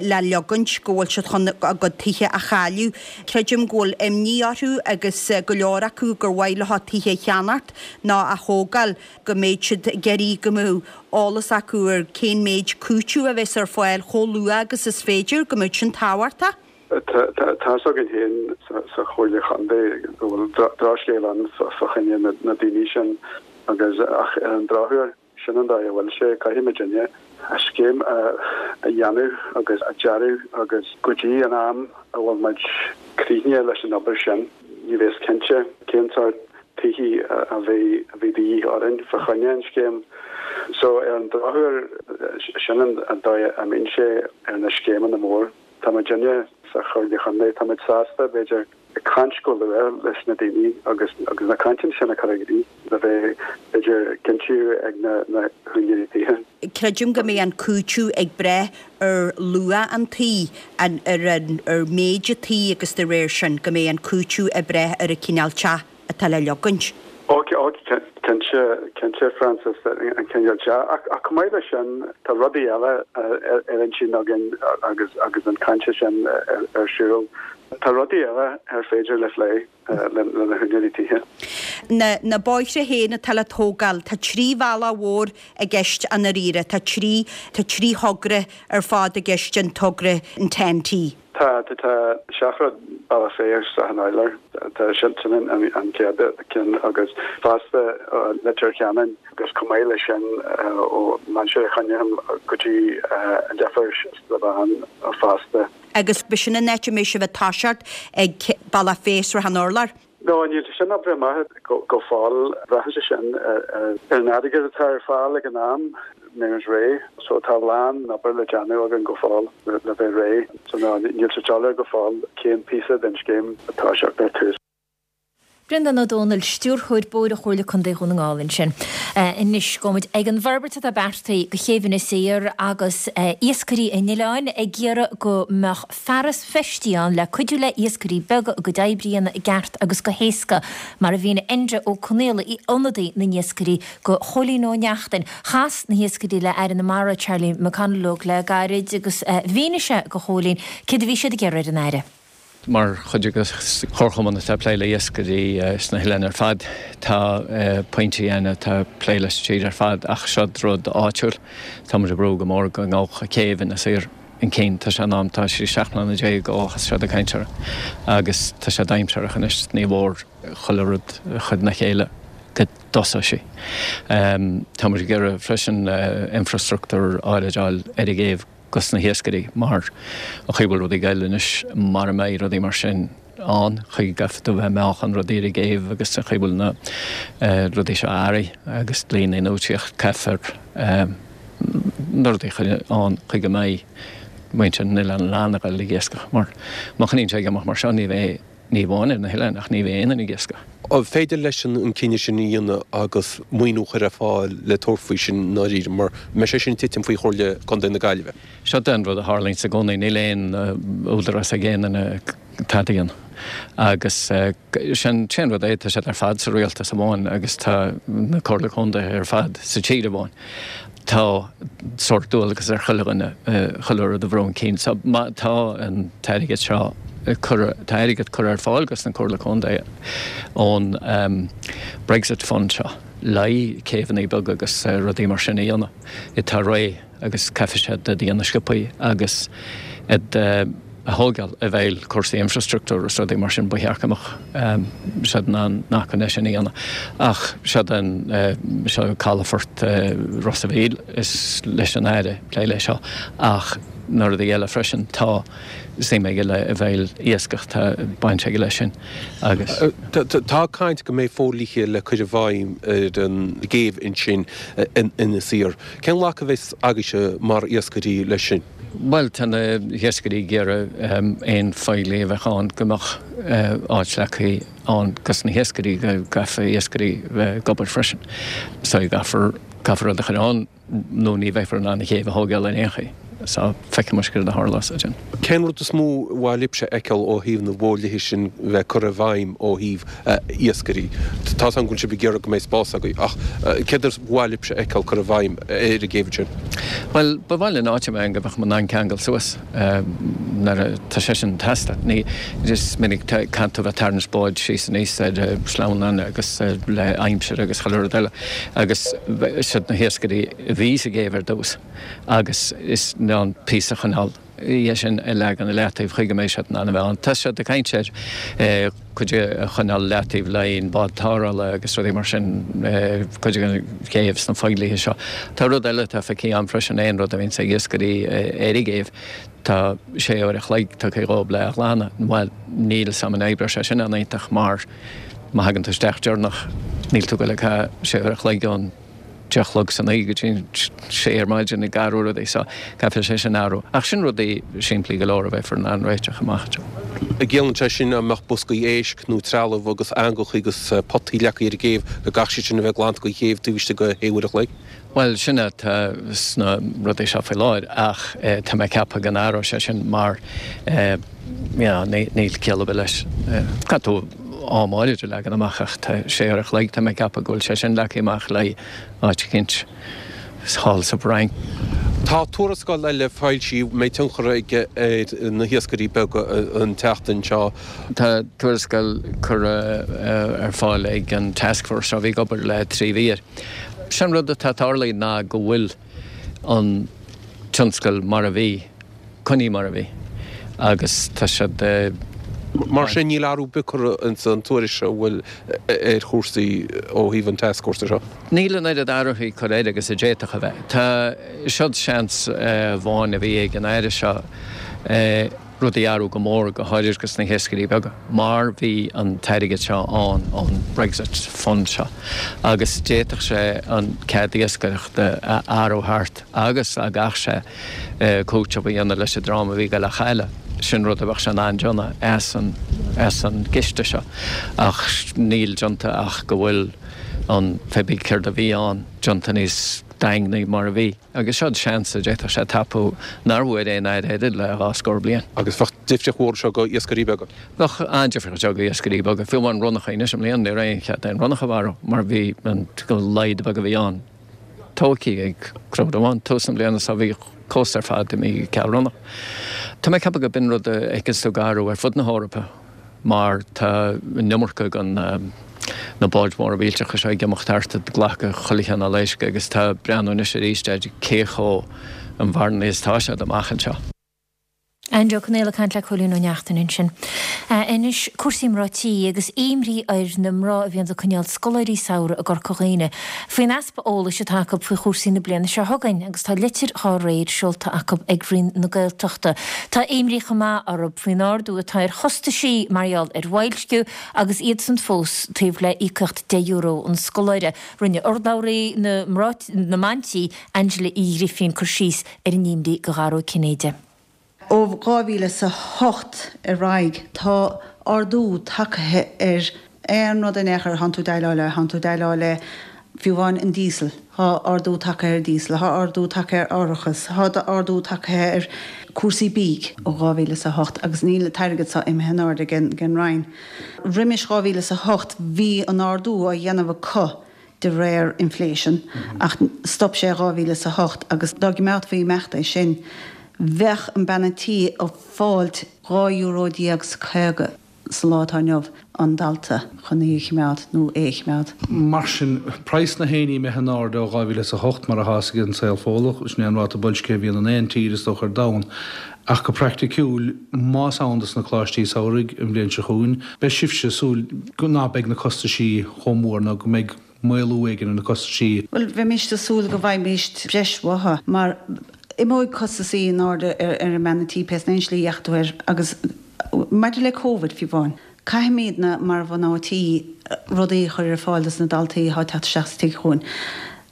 le leogaint, go bhfuil siad chun a gcuid tithe a chailleadh. Creidim go bhfuil imní orthu agus go leor acu gur mhaith leo tithe a cheannacht nó a thógáil, go mbeidh siad ag iarraidh go mbeadh eolas acu ar cén méid cúiteamh a bheas ar fáil chomh luath agus is féidir, go mbeadh sin tábhachtach. Tá's againn féin sa Chomhairle Chontae go bhfuil drochscéal ann fá choinne na daoine sin agus ach ar an drochuair, sin an dóigh a bhfuil sé. Caithfidh muidinne an scéim a dhéanamh agus a dearadh agus go dtí an am a bhfuil muid críochnaithe leis an obair sin, ní bheas cinnte cén sórt tithe a bheidh de dhíth orainn fá choinne an scéim. So ar an drochuair, sin an dóigh a mbíonn sé ar na scéimeanna mór. Tá muidinne sa Chomhairle Chontae, tá muid sásta, b'fhéidir, ag caint go luath leis na daoine agus agus na cainteanna sin a chur i gcrích le bheith, b'fhéidir, cinntiú ag na na húinéirí tithe. Creidim go mbeidh an cúiteamh ag brath ar luach an tí, an ar an ar méid an tí agus de réir sin go mbeidh an cúiteamh ag brath ar an cineál teach atá le leogaint. Ó cinnte, cinnte Francis, an cineál sea. Ach chomh maith leis sin, tá rudaí eile ar intinn againn agus agus an chaint sin ar siúl. Tá rudaí eile ar féidir le phlé le na húinéirí tithe. Na na bóithre féin atá le tógáil, tá 3 bhealach mhór i gceist i ndáiríre. Tá 3 tá 3 thogra ar fad i gceist an togra an TEN-T. Tá, tá, tá seachrád Bealach Féich Srath an Urláir, tá sin, sin an, an chéad ceann agus fosta Leitir Ceanainn agus chomh maith leis sin ó Mainistir Choinnigh go dtí an Duifear Sna fosta. Agus b'shin an áit a mbeidh sibh ag toiseacht ag Bealach Féich Srath an Urláir. No, níl sé sin oibrithe amach go fóill. Braitheann sé sin ar an airgead atá ar fáil ag an am, mbeidh muid réidh. So tá a lán obair le déanamh againn go fóill le bheith réidh. So no, níl sé soiléir go fóill cén píosa den scéim atá ag teacht ar tús. Breandán Ó Dónaill, Stiúrthóir Bóithre Chomhairle Contae Dhún na nGall ansin. Anois, gabhfaidh muid ag an bhforbairt atá beartaithe do chéibh Inis Oírr agus iascairí an oileáin ag iarraidh go mbeadh fearas feistí ann le cuidiú le iascairí beaga a gcuid oibre a dhéanamh i gceart agus go héasca, mar a mhínigh Enda Ó Conaola, ionadaí na n-iascairí, do Chóilín Ó Neachtain. Chas na hiascairí le Aire na Mara, Charlie McConalogue le gairid agus mhínigh sé do Chóilín céard a bhí siad ag iarraidh ar an Aire. Mar chuid de chomharchumann atá ag plé le iascairí sna hoileáin ar fad, tá pointí ann atá ag plé leis an tír ar fad ach seod rud áitiúil. Tá muid ag brú go mór go ngabhfadh céibh Inis Oírr chun cinn. Tá sé in am, tá sé 17 mbliana ó thosaigh siad ag caint air agus tá sé dainséarach anois, ní mhór chuile rud a chur ina chéile go dtosóidh sí. Tá muid ag iarraidh freisin infrastruchtúr áirid a fháil ar an gcéibh dos na hiascairí mar an chaoi a bhfuil rudaí ag goil anois mara mbeidh rudaí mar sin ann, chaoi go gcaithfidh tú bheith ag meáchan rudaí ar an gcéibh agus an chaoi a bhfuil na rudaí seo athraithe agus dlí na n-úitsíocht caithfear na rudaí a chur ann chaoi go mbeidh muintir na n-oileán in ann a ghoil ag iascach mar má choinníonn sé ag imeacht mar seo ní bheidh ní amháin ar na hoileáin ach ní bheidh aon duine ag iascach. An féidir leis an cinneadh sin a dhéanamh agus maoiniú a chur ar fáil le tabhairt faoi sin i ndáiríre mar an mbeidh sé sin ag titim faoi Chomhairle Contae na Gaillimhe? Seo é an rud a tharlaíonns i gcónaí, níl aon údarás ag aon duine tada a dhéanamh. Agus sin an rud é, tá siad ar fad sa rialtas amháin agus tá na Comhairle Contae ar fad sa tír amháin. Tá sórt dualgas ar chuile dhuine chuile rud a bhrú chun cinn. So má tá an t-airgead seo curtha, tá airgead curtha ar fáil dos na Comhairle Contae ón Brexit Fund seo le haghaidh céibheanna beaga agus rudaí mar sin a dhéanamh. Atá réidh. agus caithfidh siad iad a dhéanamh sciobthaí agus iad a thógáil i bhfeighil cúrsaí infrastruchtúir agus rudaí mar sin, ba cheart go mbeadh siad in ann na hacmhainní sin a dhéanamh. Ach seod an, seo calafort Ros a' Mhíl, is leis an Aire plé leis seo ach na rudaí eile freisin, tá suim aige le i bhfeighil iascach, tá baint aige leis sin agus. Tá caint go mbeidh fodhlíthe le cur i bhfeidhm ar an gcéibh ansin in Inis Oírr. Cén ghlacadh a bheas agaibhse mar iascairí leis sin? Bhuel, tá na hiascairí ag iarraidh aon fodhlí a bheadh ann go mbeadh áit leagtha ann dos na hiascairí, go gcaithfidh iascairí bheith ag obair freisin. So caithfear, caithfear rud a chur ann nó ní bheifear in ann an chéibh a thógáil ar aon chaoi. So feicfidh muid céard a tharlós ansin. Cén rud is mó ba mhaith libhse a fheiceáil ó thaobh na bhfodhlíthe sin bheith curtha i bhfeidhm ó thaobh iascairí? Tá 's agam go bhfuil sibh ag iarraidh go mbeidh spás agaibh ach céard is mhaith libhse a fheiceáil curtha i bhfeidhm ar an gcéibh ansin? Bhuel, ba mhaith linn áit a mbeidh go mbeadh muid in ann ceangal suas nuair atá sé sin ag teastáil. Ní, is minic caithfidh tú bheith ag tarraingt báid síos aníos ar sleamhnáin agus le aimsir agus chuile rud eile agus siad na hiascairí a bhí sa gcéibh ar dtús. agus is in ann píosa a choinneáil dhe sin a leagan i leataobh chaoi go mbeidh siad in ann a bheith ann. Tá siad ag caint ar cuid a choinneáil i leataobh le haghaidh an bád tarrthála agus rudaí mar sin, cuid den chéibh sna fodhlíthe seo. Tá rud eile atá feicthe agam freisin, aon rud a bhíonns ag iascairí ar an gcéibh, tá sé uair a chloig tugtha dhóibh le a ghlanadh. Bhuel, níl 'fhios a'm an oibreoidh sé sin an-iontach mar má thagann tú isteach deireanach níl tú ag goil ag caitheamh sé uair a chloig ón 10 a chlog san oíche go dtí an sé ar maidin ag athrú rudaí so caithfidh sé sin athrú. Ach sin rudaí simplí go leor a bheifear in ann réiteach amach anseo. An gciallaíonn sé sin dá mbeadh boscaí éisc nó trealamh agus eangacha agus potaí leagtha ar an gcéibh go gcaithfidh siad sin a bheith glanta den chéibh taobh istigh de shé uair a chloig? Bhuel sin atá sna rudaí seo faoi láthair ach tá mé ag ceapadh go n-athróidh sé sin mar you know níl ciall ar bith leis. Caithfidh tú. am áirid a leagan amach ach tá sé uair a chloig, tá mé ag ceapadh go bhfuil sé sin leagtha amach le áit eicínt thall sa bhFrainc. Tá tuarascáil eile foilsithe a mbeidh tionchar aige ar na hiascairí beaga an tseachtain seo. Tá tuarascáil curtha ar fáil ag an Taskforce seo a bhí ag obair le 3 mhí air. Sin rud atá tarlaithe ná go bhfuil an tionscal mar a bhí, coinnithe mar a bhí agus tá siad. Mar sin níl athrú ar bith curtha ins an tuairisc seo an bhfuil ar chúrsaí ó thaobh an Taskforce seo. Níl an oiread athruithe curtha air agus a d'fhéadfadh a bheith. Tá, seod seans amháin a bhí ag an Aire seo rudaí a athrú go mór, go háirid dos na hiascairí beaga, mar bhí an t-airgead seo ann ón Brexit Fund seo agus d'fhéadfadh sé an cead iascaireachta a athrú thart agus dá gcaithfeadh sé cúiteamh a dhéanamh leis an dream a bhí ag dul a chailleadh, sin rud a bheadh sé in ann déanamh as an as an gciste seo. Ach níl déanta ach go bhfuil an, pé bith céard a bhí ann, déanta níos daingne mar a bhí. Agus seod seans a d'fhéadfadh sé tapú nár bhfuair aon aire eile le dhá scór bliain. Agus bheadh difríocht mhór anseo do iascairí beaga. Bheadh an-difríocht anseo do iascairí beaga. Fiú amháin ronnacha anois i mbliana ní raibh aon chead aon ronnach a mharú mar bhí an laghad beag a bhí ann tógtha ag crowd amháin. Tús na bliana so bhí cósta ar fad imithe ceal ronnach. Tá mé ag ceapadh go b'in rud a fheiceanns tú ag athrú ar fud na hEorpa. mar tá an iomarca den na báid mhóra mhillteacha seo ag imeacht thart ag glacadh chuile chineál éisc agus tá breathnú anois arís ar cé chomh inmharthana is atá siad amach anseo. Andy Ó Conaola ag caint le Cóilín Ó Neachtain ansin. Anois cúrsaí mná tí agus imní ar na mná a bhíonns ag coinneáil scoláirí samhraidh i gCorca Dhuibhne faoin easpa eolais atá acu faoi chúrsaí na bliana seo chugainn agus tá litir dhá réir seolta acu ag Roinn na Gaeltachta. Tá imní chomh maith orthu faoin ardú atá ar chostaisí mar gheall ar bhoilsciú agus iadsan fós taobh le íocaíocht €10 an scoláire. Rinne urlabhraí na na mban tí, Angela Uí Ghrifín cur síos ar an imní do Dhara Ó Cinnéide. Ó 2008 ar aghaidh tá ardú tagtha ar aon rud in aon chor a thánn tú déileáil le, thánn tú déileáil le fiú amháin an díosal, thá ardú tagtha ar díosal, thá ardú tagtha ar árachas, thá ardú tagtha ar cúrsaí bídh ó 2008 agus níl an t-airgead so imithe in airde ag an Roinn. Roimis 2008 bhí an ardú á dhéanamh acu de réir inflation ach stop sé i 2008 agus dá gcimeádfaí imeacht é sin bheadh an bean an tí ag fáilt 12 euro 's 50 sa lá atá inniu an dalta chun í a chimeád nó é a chimeád. Mar sin, praghas na héiní imithe in airde ó 2008, mar atá ag an saol Fódhlach, sin é an ráta boilscithe a bhíonn in aon tír is dócha ar domhan. Ach go praiticiúil, más ann dos na coláistí samhraidh an bhliain seo chugainn, beidh sibhse ag súil ná beidh na costaisí chomh mór nó go mbeidh maolú éigin ar na costaisí. Bhuel, bheimíst ag súil go bhfaighimíst breis uathu, mar imeoidh costasaí in airde ar an mbean an tí pé sna aon slí a dheachaigh tú air. Agus maidir le Covid, fiú amháin, caithfimídne mar mhná tí rudaí a chur ar fáil dos na daltaí atá ag teacht isteach sa tigh chugainn.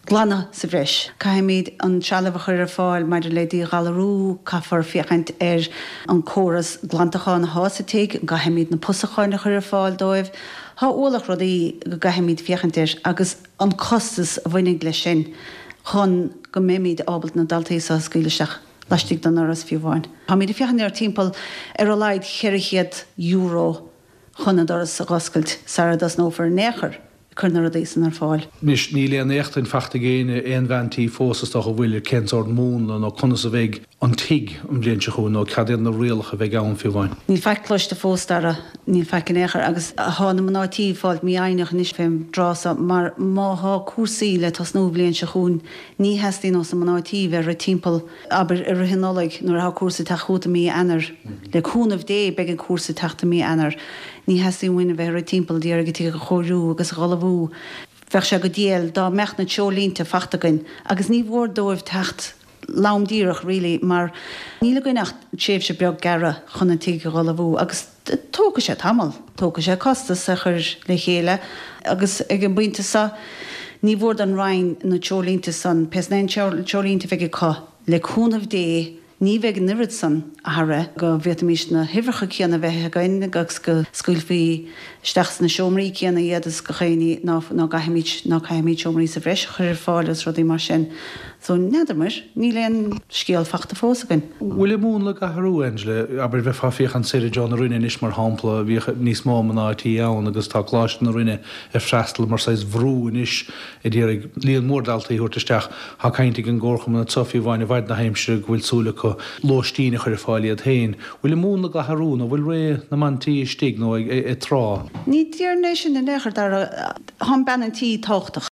Glanadh sa bhreis. Caithfimid an trealamh a chur ar fáil maidir le díghalarú, caithfear féachaint ar an córas glantacháin athá sa tigh, an gcaithfimid na pusacháin a chur ar fáil dóibh. Thá ualach rudaí go gcaithfimid féachaint air agus an costas a bhainfidh leis sin chun go mbeimid ábalta na daltaí so a scaoileadh isteach laistigh den ndoras fiú amháin. Táimid ag féachaint ar timpeall ar a laghad €400 chun an doras a dh'oscailt sara dtosnófar in aon chor ag cur na rudaí san ar fáil. Anois, níl aon éachtaint fachta ag éinne, aon bhean tí fós is dócha, an bhfuil, ar cén sórt múnla nó conas a bheidh an tigh an bhliain seo chugainn nó cad iad na rialacha a bheidh ann fiú amháin. Níl faic cloiste fós, Dara, níl faic in aon chor agus thá na mná tí ag fáilt mífhoighneach anois fén dtráth so mar má thá cúrsaí le tosnú an bhliain seo chugainn ní theastaíonn ós na mná tí bheith ag rith timpeall, abair, i rith an Nollaig nuair athá cúrsa ag teacht chugat i mí Eanáir. Le cúnamh Dé beidh an cúrsa ag teacht i mí Eanáir. Ní theastaíonn uainn a bheith ag rith timpeall d'iarraidh an tigh a chóiriú agus a dh'ullmhú. Bheadh sé go diail dá mbeadh na treoirlínte fachta againn agus ní mhór dóibh teacht lom díreach really mar níl againn ach tréimhse beag gearra chun an tigh a dh'ullmhú agus tógfaidh sé tamall, tógfaidh sé costas a chur le chéile agus ag an bpointe seo ní mhór don Roinn na treoirlínte san, pé sna aon treoirlínte a bheidh acu, le cúnamh Dé ní bheidh an oiread san athraithe go bhféadfaimis na huimhreacha céanna a bheith againn agus go scaoilfí isteach sna seomraí céanna iad is go chaoiní ná ná gcaithfimid ná caithfimid seomraí sa bhreis a chur ar fáil agus rudaí mar sin. So, n'fheadar muir, níl aon scéal fachta fós againn. Bhfuil an múnla ag athrú, Angela? Abair, bheifeá ag féachaint soir i dtreo na Rinne anois, mar shampla, bhíodh níos mó mná tí ann agus tá Coláiste na Rinne ag freastal mar saghas bhrú anois ag iarraidh líon mór daltaí a thabhairt isteach. Tá caint ag an gcomharchumann anseo fiú amháin i bhfad na haimsire go bhfuil súil acu lóistín a chur ar fáil iad féin. Bhfuil an múnla ag athrú nó bhfuil ré na mban tí istigh nó ag trá? Ní déarfainn é sin in aon chor, Dara. Tá an bean an tí tábhachtach.